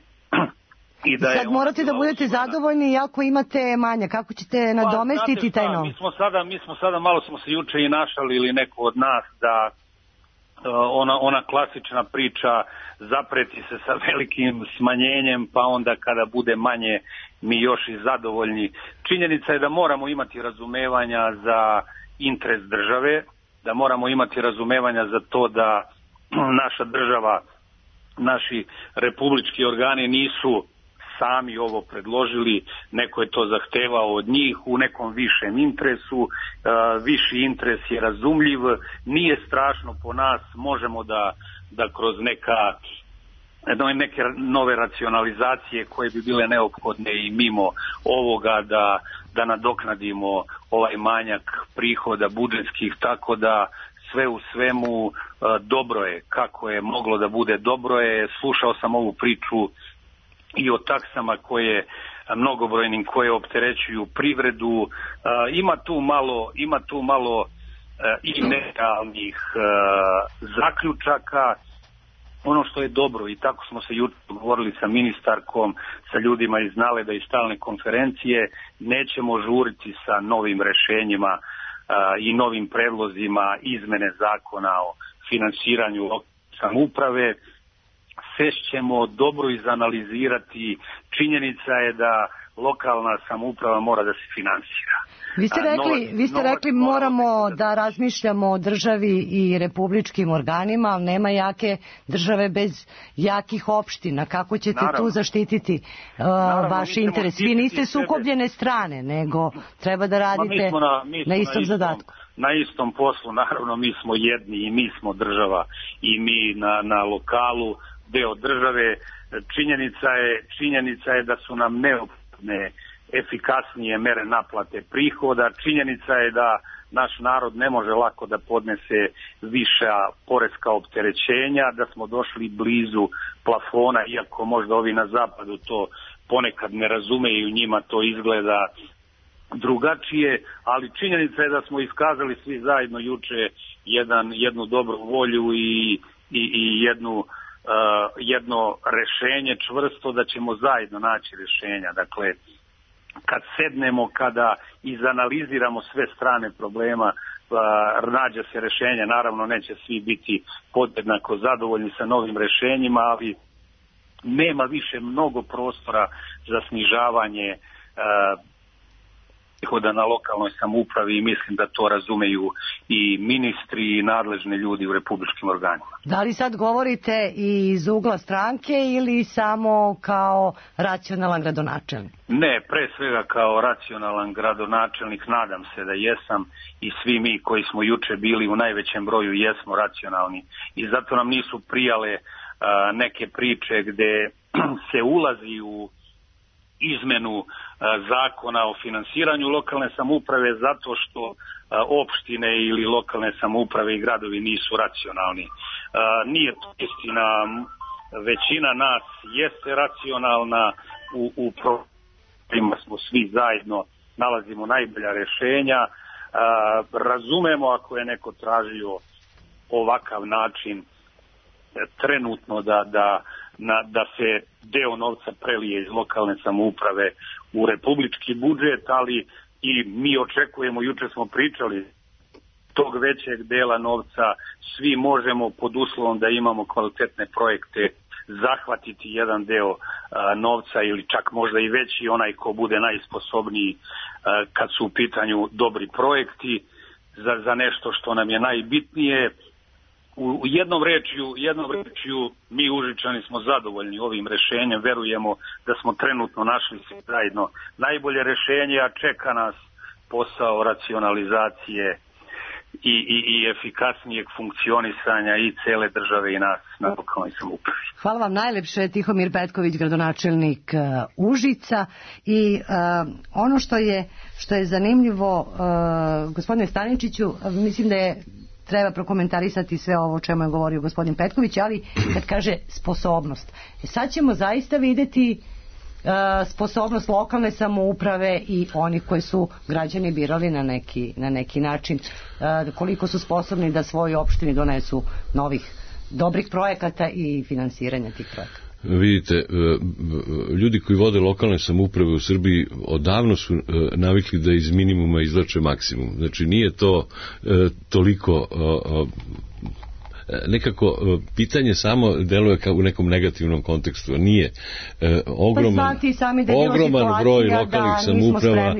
S13: I da
S4: sad morate da budete zadovoljni ako imate manja. Kako ćete nadomestiti
S13: pa,
S4: taj novac?
S13: Mi smo sada, mi smo sada, malo smo se juče i našali ili neko od nas da ona, ona klasična priča zapreti se sa velikim smanjenjem, pa onda kada bude manje mi još i zadovoljni. Činjenica je da moramo imati razumevanja za interes države, da moramo imati razumevanja za to da naša država, naši republički organi nisu sami ovo predložili, neko je to zahtevao od njih u nekom višem interesu, e, viši interes je razumljiv, nije strašno po nas, možemo da, da kroz neka neke nove racionalizacije koje bi bile neophodne i mimo ovoga da, da nadoknadimo ovaj manjak prihoda budžetskih, tako da sve u svemu e, dobro je, kako je moglo da bude dobro je. Slušao sam ovu priču i o taksama koje mnogobrojnim koje opterećuju privredu. E, ima tu malo, ima tu malo e, i nerealnih e, zaključaka. Ono što je dobro, i tako smo se juče govorili sa ministarkom, sa ljudima iz Naleda i stalne konferencije, nećemo žuriti sa novim rešenjima e, i novim predlozima izmene zakona o finansiranju samouprave. Sve ćemo dobro izanalizirati. Činjenica je da lokalna samouprava mora da se finansira.
S4: Vi ste rekli, novac, vi ste rekli moramo da razmišljamo o državi i republičkim organima, ali nema jake države bez jakih opština. Kako ćete naravno, tu zaštititi uh, naravno, vaš interes? Vi niste sukobljene sebe. strane, nego treba da radite na, na istom na zadatku.
S13: Na istom poslu, naravno mi smo jedni i mi smo država i mi na, na lokalu deo države. Činjenica je, činjenica je da su nam neophodne efikasnije mere naplate prihoda. Činjenica je da naš narod ne može lako da podnese viša poreska opterećenja, da smo došli blizu plafona, iako možda ovi na zapadu to ponekad ne razumeju, njima to izgleda drugačije, ali činjenica je da smo iskazali svi zajedno juče jedan, jednu dobru volju i, i, i jednu, uh, jedno rešenje čvrsto da ćemo zajedno naći rešenja. Dakle, kad sednemo, kada izanaliziramo sve strane problema, nađe se rešenje. Naravno, neće svi biti podjednako zadovoljni sa novim rešenjima, ali nema više mnogo prostora za snižavanje prihoda na lokalnoj samoupravi i mislim da to razumeju i ministri i nadležni ljudi u republičkim organima.
S4: Da li sad govorite i iz ugla stranke ili samo kao racionalan gradonačelnik?
S13: Ne, pre svega kao racionalan gradonačelnik, nadam se da jesam i svi mi koji smo juče bili u najvećem broju jesmo racionalni i zato nam nisu prijale a, neke priče gde se ulazi u izmenu zakona o finansiranju lokalne samouprave zato što opštine ili lokalne samouprave i gradovi nisu racionalni. Nije to istina, većina nas jeste racionalna, u, u problemima smo svi zajedno, nalazimo najbolja rešenja, razumemo ako je neko tražio ovakav način trenutno da, da, na, da se deo novca prelije iz lokalne samouprave u republički budžet, ali i mi očekujemo, juče smo pričali, tog većeg dela novca svi možemo pod uslovom da imamo kvalitetne projekte zahvatiti jedan deo a, novca ili čak možda i veći, onaj ko bude najsposobniji a, kad su u pitanju dobri projekti za, za nešto što nam je najbitnije. U jednom rečju, jednom rečju mi Užičani smo zadovoljni ovim rešenjem, verujemo da smo trenutno našli svi zajedno najbolje rešenje, a čeka nas posao racionalizacije i, i, i efikasnijeg funkcionisanja i cele države i nas na lokalnoj samoupravi.
S4: Hvala vam najlepše, Tihomir Petković, gradonačelnik uh, Užica. I uh, ono što je, što je zanimljivo, uh, gospodine Staničiću, uh, mislim da je treba prokomentarisati sve ovo o čemu je govorio gospodin Petković, ali kad kaže sposobnost. E sad ćemo zaista vidjeti uh, sposobnost lokalne samouprave i onih koji su građani birali na neki, na neki način, uh, koliko su sposobni da svoj opštini donesu novih dobrih projekata i finansiranja tih projekata.
S6: Vidite, ljudi koji vode lokalne samouprave u Srbiji odavno su navikli da iz minimuma izvlače maksimum. Znači nije to toliko nekako pitanje samo deluje kao u nekom negativnom kontekstu, nije. Ogroman, ogroman broj lokalnih samouprava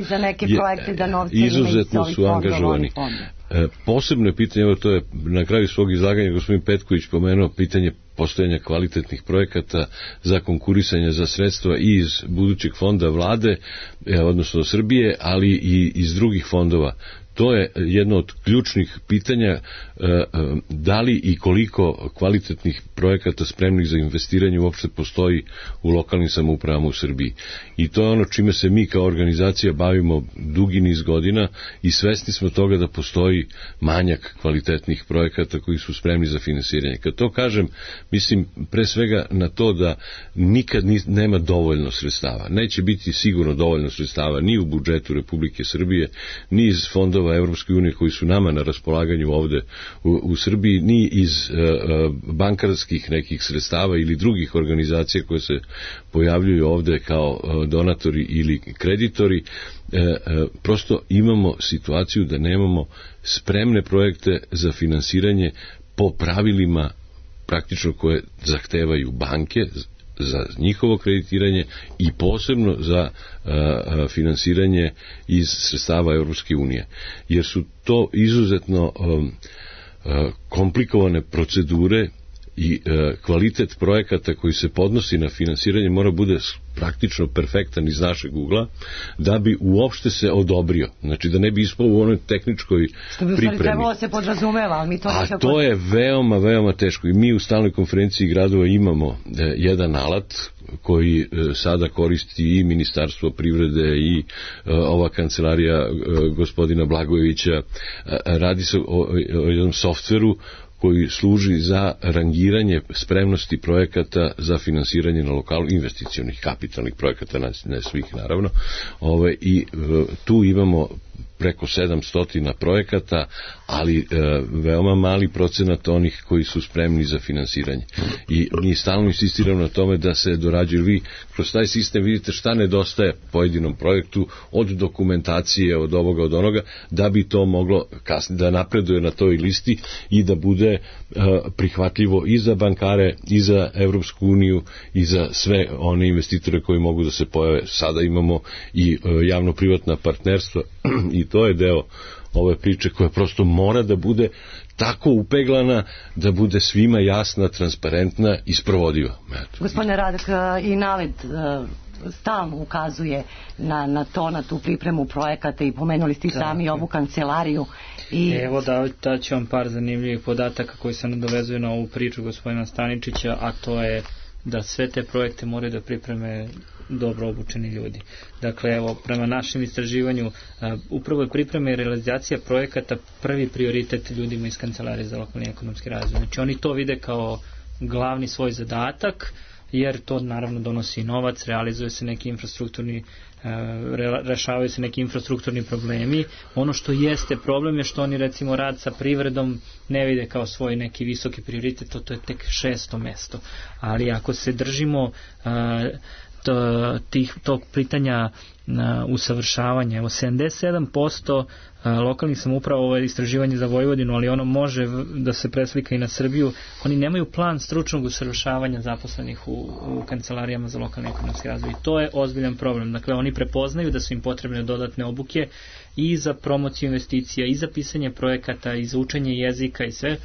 S6: je, izuzetno su angažovani. Posebno je pitanje, evo to je na kraju svog izlaganja gospodin Petković pomenuo pitanje postojanja kvalitetnih projekata za konkurisanje za sredstva i iz budućeg fonda vlade, odnosno Srbije, ali i iz drugih fondova. To je jedno od ključnih pitanja, da li i koliko kvalitetnih projekata spremnih za investiranje uopšte postoji u lokalnim samoupravama u Srbiji. I to je ono čime se mi kao organizacija bavimo dugi niz godina i svesni smo toga da postoji manjak kvalitetnih projekata koji su spremni za finansiranje. Kad to kažem, mislim pre svega na to da nikad nema dovoljno sredstava. Neće biti sigurno dovoljno sredstava ni u budžetu Republike Srbije, ni iz fondova Evropske unije koji su nama na raspolaganju ovde u, u Srbiji, ni iz uh, bankarskih nekih sredstava ili drugih organizacija koje se pojavljuju ovde kao uh, donatori ili kreditori. Uh, uh, prosto imamo situaciju da nemamo spremne projekte za finansiranje po pravilima praktično koje zahtevaju banke za njihovo kreditiranje i posebno za uh, finansiranje iz sredstava Evropske unije. Jer su to izuzetno um, uh, komplikovane procedure i e, kvalitet projekata koji se podnosi na finansiranje mora bude praktično perfektan iz našeg ugla, da bi uopšte se odobrio. Znači da ne bi ispao u onoj tehničkoj
S4: što bi
S6: pripremi.
S4: trebalo se podrazumeva, ali mi to
S6: A
S4: nekako...
S6: to je veoma, veoma teško. I mi u stalnoj konferenciji gradova imamo e, jedan alat koji e, sada koristi i Ministarstvo privrede i e, ova kancelarija e, gospodina Blagojevića. E, radi se o, o jednom softveru koji služi za rangiranje spremnosti projekata za finansiranje na lokalu, investicionih, kapitalnih projekata, ne svih naravno. Ove, i e, tu imamo preko sedamsto projekata, ali e, veoma mali procenat onih koji su spremni za finansiranje. I mi stalno insistiramo na tome da se dorađuju. Vi kroz taj sistem vidite šta nedostaje pojedinom projektu, od dokumentacije, od ovoga, od onoga, da bi to moglo kasnije da napreduje na toj listi i da bude e, prihvatljivo i za bankare, i za Evropsku uniju, i za sve one investitore koji mogu da se pojave. Sada imamo i e, javno-privatna partnerstva i to je deo ove priče koja prosto mora da bude tako upeglana da bude svima jasna, transparentna i sprovodiva. Eto.
S4: Gospodine Radak, i Navet stalno ukazuje na, na to, na tu pripremu projekata i pomenuli ste i sami da, ovu kancelariju. I...
S5: Evo da, da ću vam par zanimljivih podataka koji se nadovezuju na ovu priču gospodina Staničića, a to je da sve te projekte moraju da pripreme dobro obučeni ljudi. Dakle, evo, prema našem istraživanju, uh, upravo je priprema i realizacija projekata prvi prioritet ljudima iz Kancelarije za lokalni ekonomski razvoj. Znači, oni to vide kao glavni svoj zadatak, jer to naravno donosi novac, realizuje se neki infrastrukturni rešavaju se neki infrastrukturni problemi. Ono što jeste problem je što oni recimo rad sa privredom ne vide kao svoj neki visoki prioritet, to, to je tek šesto mesto. Ali ako se držimo to, tih, tog pitanja usavršavanja, evo sedamdeset sedam posto lokalnih samouprava, ovo je istraživanje za Vojvodinu, ali ono može da se preslika i na Srbiju, oni nemaju plan stručnog usavršavanja zaposlenih u, u kancelarijama za lokalni ekonomski razvoj. I to je ozbiljan problem. Dakle, oni prepoznaju da su im potrebne dodatne obuke i za promociju investicija, i za pisanje projekata, i za učenje jezika i sve.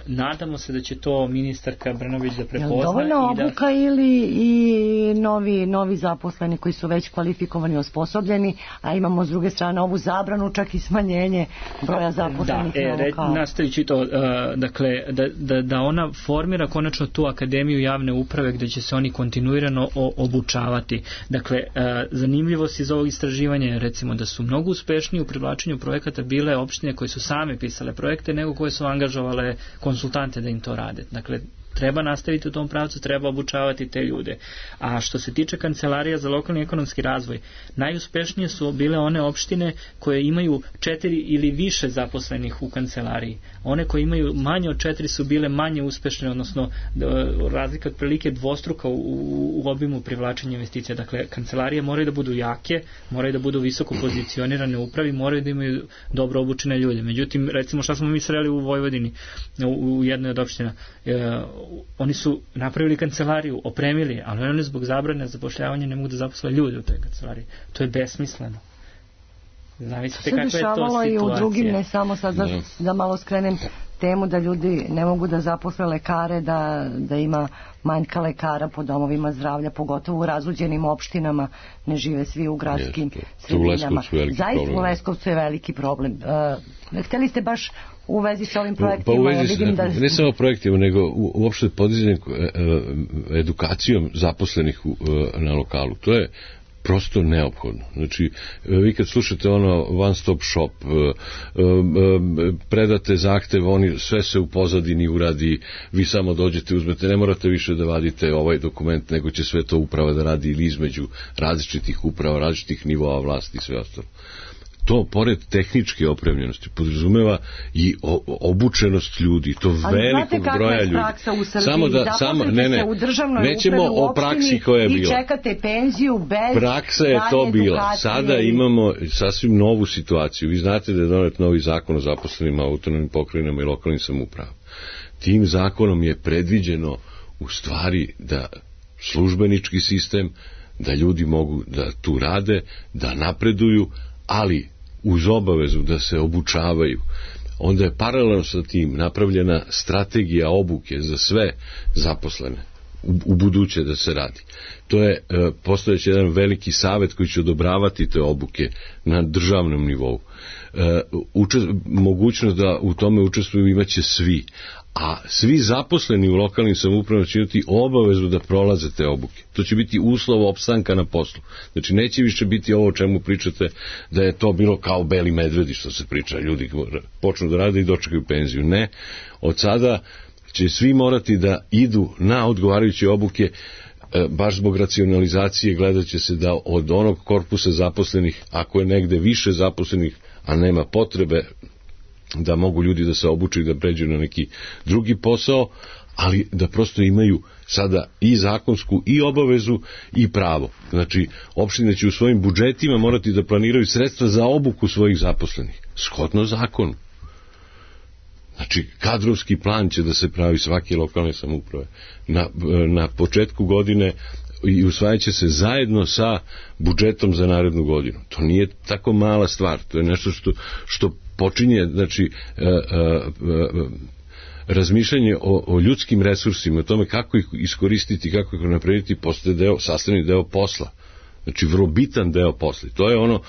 S5: Nadamo se da će to ministarka Brnović da prepozna. Je li dovoljno
S4: obuka
S5: da...
S4: ili i novi, novi zaposleni koji su već kvalifikovani, osposobljeni, a imamo s druge strane ovu zabranu, čak i smanjenje broja zaposlenih
S5: da,
S4: na
S5: e,
S4: lokalu.
S5: Nastaviću to, uh, dakle, da, da, da ona formira konačno tu akademiju javne uprave gdje će se oni kontinuirano o, obučavati. Dakle, uh, zanimljivost iz ovog istraživanja je recimo da su mnogo uspešniji u privlačenju projekata bile opštine koje su same pisale projekte nego koje su angažovale konsultante da im to rade. Dakle, treba nastaviti u tom pravcu, treba obučavati te ljude. A što se tiče kancelarija za lokalni ekonomski razvoj, najuspešnije su bile one opštine koje imaju četiri ili više zaposlenih u kancelariji. One koje imaju manje od četiri su bile manje uspešne, odnosno razlika otprilike dvostruka u, u obimu privlačenja investicija. Dakle, kancelarije moraju da budu jake, moraju da budu visoko pozicionirane u upravi, moraju da imaju dobro obučene ljude. Međutim, recimo šta smo mi sreli u Vojvodini, u, u jednoj od opština, e, oni su napravili kancelariju, opremili, ali oni zbog zabrane zapošljavanja ne mogu da zaposle ljude u toj kancelariji. To je besmisleno. Zamislite kakva je to situacija.
S4: I u drugim, ne samo sad da, da malo skrenem temu da ljudi ne mogu da zaposle lekare, da, da ima manjka lekara po domovima zdravlja, pogotovo u razuđenim opštinama, ne žive svi u gradskim sredinama. Zaista u Leskovcu je veliki problem. Uh, hteli ste baš u vezi sa ovim projektima?
S6: Pa u vezi, vidim da... ne samo projektima, nego u, uopšte podizanjem edukacijom zaposlenih u, na lokalu. To je prosto neophodno. Znači, vi kad slušate ono one stop shop, predate zahtev, oni sve se u pozadini uradi, vi samo dođete, uzmete, ne morate više da vadite ovaj dokument, nego će sve to uprava da radi ili između različitih uprava, različitih nivoa vlasti i sve ostalo. To, pored tehničke opremljenosti, podrazumeva i obučenost ljudi, to
S4: ali
S6: velikog broja ljudi.
S4: Ali znate kakva je praksa u Srbiji?
S6: Samo da, samo, ne, ne,
S4: u državnoj
S6: nećemo
S4: upravi u
S6: o praksi koja je bila.
S4: I čekate penziju bez
S6: praksa je to bila. Sada imamo sasvim novu situaciju. Vi znate da je donet novi zakon o zaposlenima, autonomnim pokrajinama i lokalnim samoupravama. Tim zakonom je predviđeno u stvari da službenički sistem, da ljudi mogu da tu rade, da napreduju, ali uz obavezu da se obučavaju, onda je paralelno sa tim napravljena strategija obuke za sve zaposlene u, u buduće da se radi. To je e, postojeći jedan veliki savet koji će odobravati te obuke na državnom nivou. E, učest, mogućnost da u tome učestvuju imaće svi, a svi zaposleni u lokalnim samoupravama će imati obavezu da prolaze te obuke. To će biti uslov opstanka na poslu. Znači neće više biti ovo o čemu pričate da je to bilo kao beli medvedi što se priča, ljudi počnu da rade i dočekaju penziju. Ne, od sada će svi morati da idu na odgovarajuće obuke, baš zbog racionalizacije gledat će se da od onog korpusa zaposlenih, ako je negde više zaposlenih, a nema potrebe da mogu ljudi da se obuče i da pređu na neki drugi posao, ali da prosto imaju sada i zakonsku i obavezu i pravo. Znači, opštine će u svojim budžetima morati da planiraju sredstva za obuku svojih zaposlenih, shodno zakonu. Znači, kadrovski plan će da se pravi svake lokalne samouprave na, na početku godine i usvajat će se zajedno sa budžetom za narednu godinu. To nije tako mala stvar, to je nešto što, što počinje, znači, e, e, e, razmišljanje o, o ljudskim resursima, o tome kako ih iskoristiti, kako ih napraviti, postaje deo, sastavni deo posla. Znači, vrlo bitan deo posla. To je ono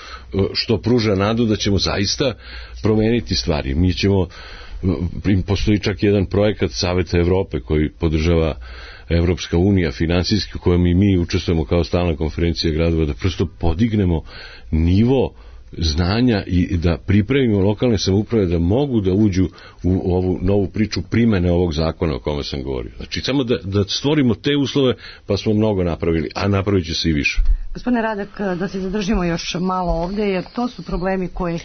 S6: što pruža nadu da ćemo zaista promeniti stvari. Mi ćemo, postoji čak jedan projekat Saveta Evrope koji podržava Evropska unija finansijski, u kojem i mi učestvujemo kao stalna konferencija gradova, da prosto podignemo nivo znanja i da pripremimo lokalne samouprave da mogu da uđu u ovu novu priču primene ovog zakona o kome sam govorio. Znači, samo da, da stvorimo te uslove, pa smo mnogo napravili, a napravit će se i više.
S4: Gospodine Radak, da se zadržimo još malo ovde, jer to su problemi koji uh,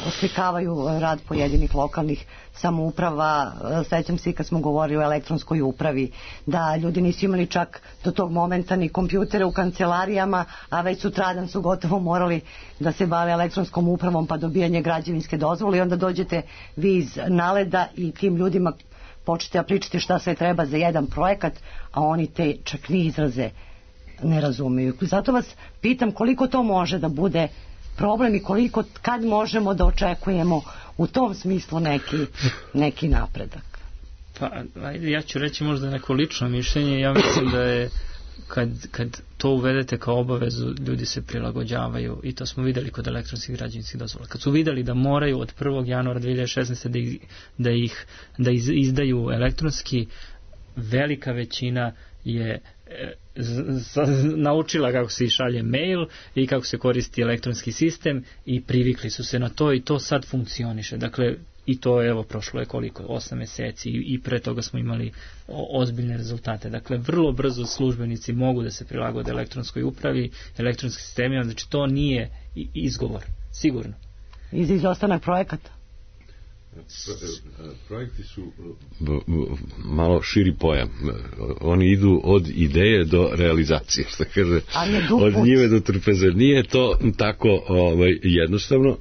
S4: oslikavaju rad pojedinih lokalnih samouprava. Sećam se i kad smo govorili o elektronskoj upravi, da ljudi nisu imali čak do tog momenta ni kompjutere u kancelarijama, a već sutradan su gotovo morali da se bave elektronskom upravom pa dobijanje građevinske dozvole i onda dođete vi iz Naleda i tim ljudima počete da pričate šta sve treba za jedan projekat, a oni te čak ni izraze ne razumiju. Zato vas pitam koliko to može da bude problem i koliko, kad možemo da očekujemo u tom smislu neki, neki napredak.
S5: Pa, ajde, ja ću reći možda neko lično mišljenje. Ja mislim da je kad, kad to uvedete kao obavezu, ljudi se prilagođavaju i to smo videli kod elektronskih građevinskih dozvola. Kad su videli da moraju od prvog januara dve hiljade šesnaeste. da ih, da ih da iz, izdaju elektronski, velika većina je z, z, naučila kako se šalje mail i kako se koristi elektronski sistem i privikli su se na to i to sad funkcioniše. Dakle, i to evo prošlo je koliko, osam meseci i, i pre toga smo imali o, ozbiljne rezultate. Dakle, vrlo brzo službenici mogu da se prilagode elektronskoj upravi, elektronskim sistemima, znači to nije izgovor, sigurno.
S4: I za izostanak projekata?
S6: Projekti su malo širi pojam. Oni idu od ideje do realizacije, što kaže, od njive do trpeze. Nije to tako ovaj, jednostavno,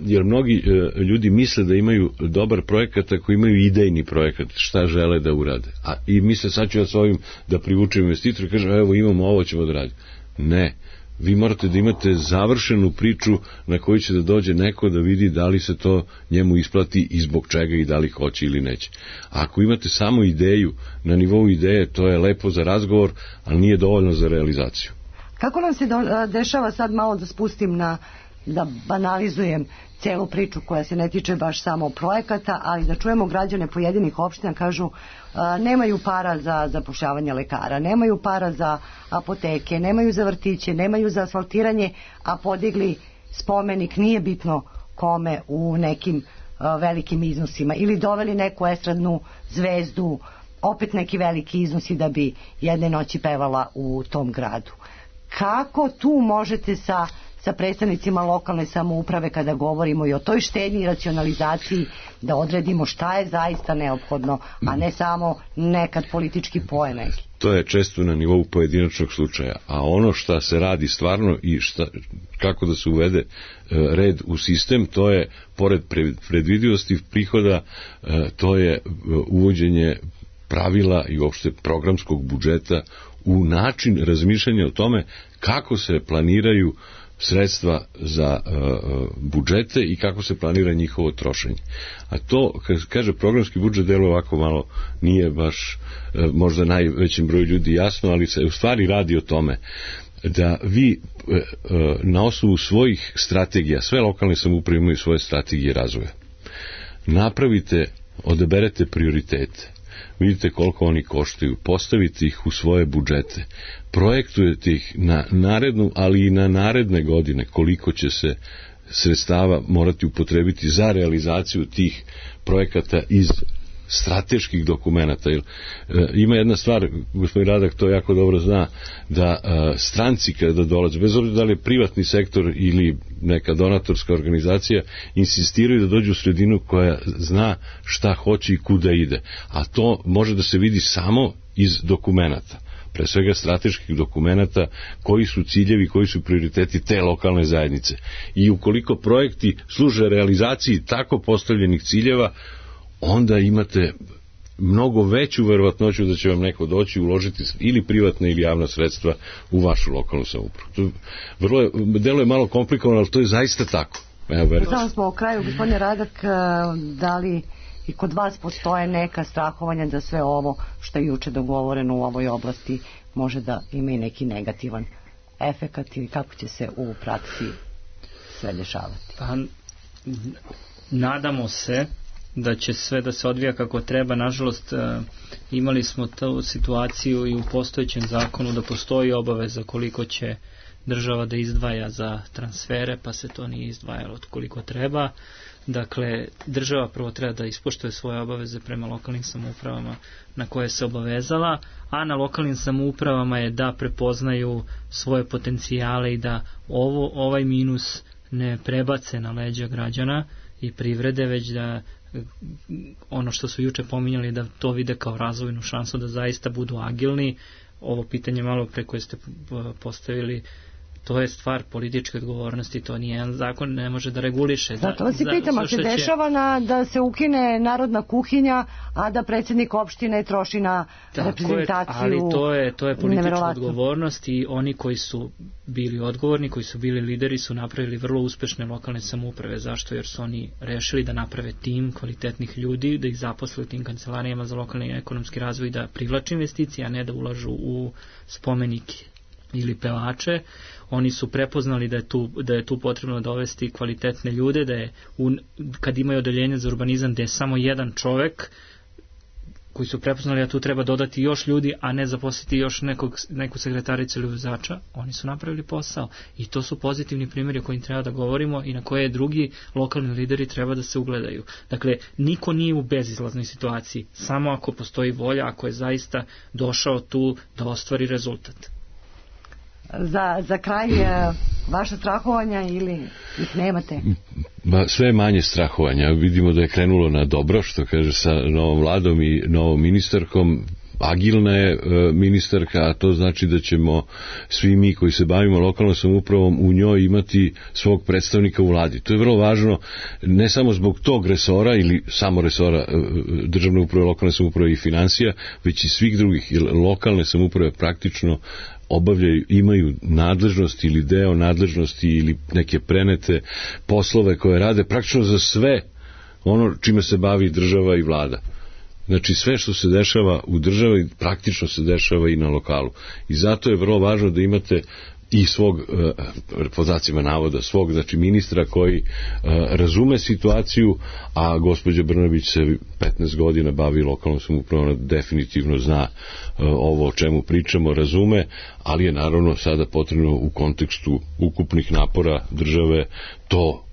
S6: jer mnogi ljudi misle da imaju dobar projekat ako imaju idejni projekat, šta žele da urade. A, i misle, sad ću ja s ovim da privučem investitor i kažem, evo imamo ovo, ćemo da radimo. Ne. Vi morate da imate završenu priču na koju će da dođe neko da vidi da li se to njemu isplati i zbog čega i da li hoće ili neće. A ako imate samo ideju, na nivou ideje, to je lepo za razgovor, ali nije dovoljno za realizaciju.
S4: Kako nam se do, dešava, sad malo da spustim na, da banalizujem celu priču koja se ne tiče baš samo projekata, ali da čujemo građane pojedinih opština, kažu a, nemaju para za zapošljavanje lekara, nemaju para za apoteke, nemaju za vrtiće, nemaju za asfaltiranje, a podigli spomenik, nije bitno kome, u nekim a, velikim iznosima, ili doveli neku estradnu zvezdu, opet neki veliki iznosi da bi jedne noći pevala u tom gradu. Kako tu možete sa sa predstavnicima lokalne samouprave kada govorimo i o toj štednji i racionalizaciji da odredimo šta je zaista neophodno, a ne samo nekad politički poen neki?
S6: To je često na nivou pojedinačnog slučaja, a ono šta se radi stvarno i šta, kako da se uvede e, red u sistem, to je pored predvidivosti prihoda, e, to je uvođenje pravila i uopšte programskog budžeta u način razmišljanja o tome kako se planiraju sredstva za uh, budžete i kako se planira njihovo trošenje. A to, kad kaže programski budžet, delo ovako malo nije baš uh, možda najvećem broju ljudi jasno, ali se u stvari radi o tome da vi uh, uh, na osnovu svojih strategija, sve lokalne samouprave imaju svoje strategije razvoja, napravite, odaberete prioritete, vidite koliko oni koštaju, postavite ih u svoje budžete, projektujete ih na narednu, ali i na naredne godine koliko će se sredstava morati upotrebiti za realizaciju tih projekata iz strateških dokumenata. Jer, e, ima jedna stvar, gospodin Radak to jako dobro zna, da e, stranci kada dolaze, bez obzira da li je privatni sektor ili neka donatorska organizacija, insistiraju da dođu u sredinu koja zna šta hoće i kuda ide. A to može da se vidi samo iz dokumenata, pre svega strateških dokumenata, koji su ciljevi, koji su prioriteti te lokalne zajednice. I ukoliko projekti služe realizaciji tako postavljenih ciljeva, onda imate mnogo veću verovatnoću da će vam neko doći uložiti ili privatna ili javna sredstva u vašu lokalnu samoupravu. To vrlo je, delo je malo komplikovano, ali to je zaista tako.
S4: Samo smo o kraju, gospodine Radak, da li i kod vas postoje neka strahovanja da sve ovo što je juče dogovoreno u ovoj oblasti može da ima i neki negativan efekat ili kako će se u praksi sve dešavati?
S5: Pa, nadamo se da će sve da se odvija kako treba. Nažalost, imali smo tu situaciju i u postojećem zakonu da postoji obaveza koliko će država da izdvaja za transfere, pa se to nije izdvajalo koliko treba. Dakle, država prvo treba da ispoštuje svoje obaveze prema lokalnim samoupravama na koje se obavezala, a na lokalnim samoupravama je da prepoznaju svoje potencijale i da ovo, ovaj minus ne prebace na leđa građana i privrede, već da ono što su juče pominjali, da to vide kao razvojnu šansu, da zaista budu agilni. Ovo pitanje malo pre koje ste postavili, to je stvar političke odgovornosti, to nije jedan zakon, ne može da reguliše.
S4: Zato vas i pitam, a se dešava na, da se ukine narodna kuhinja, a da predsjednik opštine troši na tako reprezentaciju.
S5: Je, ali to je, to je politička odgovornost i oni koji su bili odgovorni, koji su bili lideri, su napravili vrlo uspešne lokalne samouprave. Zašto? Jer su oni rešili da naprave tim kvalitetnih ljudi, da ih zaposle u tim kancelarijama za lokalni i ekonomski razvoj, da privlače investicije, a ne da ulažu u spomenike ili pevače. Oni su prepoznali da je tu, da je tu potrebno dovesti kvalitetne ljude, da je u, kad imaju odeljenje za urbanizam da je samo jedan čovek, koji su prepoznali da tu treba dodati još ljudi, a ne zaposliti još nekog, neku sekretaricu ili vozača, oni su napravili posao. I to su pozitivni primjeri o kojim treba da govorimo i na koje drugi lokalni lideri treba da se ugledaju. Dakle, niko nije u bezizlaznoj situaciji, samo ako postoji volja, ako je zaista došao tu da ostvari rezultat.
S4: Za, za kraj vaša strahovanja ili ih nemate?
S6: Ba, sve manje strahovanja. Vidimo da je krenulo na dobro, što kaže, sa novom vladom i novom ministarkom. Agilna je e, ministarka, a to znači da ćemo svi mi koji se bavimo lokalnom samoupravom u njoj imati svog predstavnika u vladi. To je vrlo važno, ne samo zbog tog resora ili samo resora e, državne uprave, lokalne samouprave i financija, već i svih drugih, jer lokalne samouprave praktično obavljaju, imaju nadležnosti ili deo nadležnosti ili neke prenete poslove koje rade praktično za sve ono čime se bavi država i vlada. Znači sve što se dešava u državi praktično se dešava i na lokalu. I zato je vrlo važno da imate i svog, podacima navoda, svog, znači ministra koji razume situaciju, a gospođa Brnabić se petnaest godina bavi lokalnom samoupravom, ona definitivno zna ovo o čemu pričamo, razume, ali je naravno sada potrebno u kontekstu ukupnih napora države to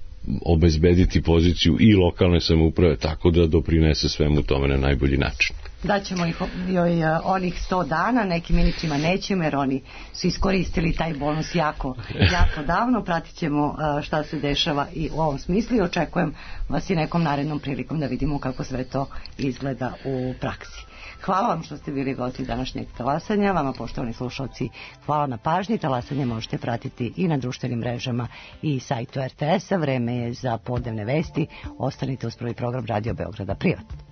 S6: obezbediti poziciju i lokalne samouprave tako da doprinese svemu tome na najbolji način.
S4: Daćemo ih joj onih sto dana, nekim ministrima nećemo jer oni su iskoristili taj bonus jako, jako davno. Pratit ćemo šta se dešava i u ovom smislu i očekujem vas i nekom narednom prilikom da vidimo kako sve to izgleda u praksi. Hvala vam što ste bili gosti današnjeg talasanja. Vama, poštovani slušalci, hvala na pažnji. Talasanje možete pratiti i na društvenim mrežama i sajtu er te es a. Vreme je za podnevne vesti. Ostanite uz prvi program Radio Beograda Privat.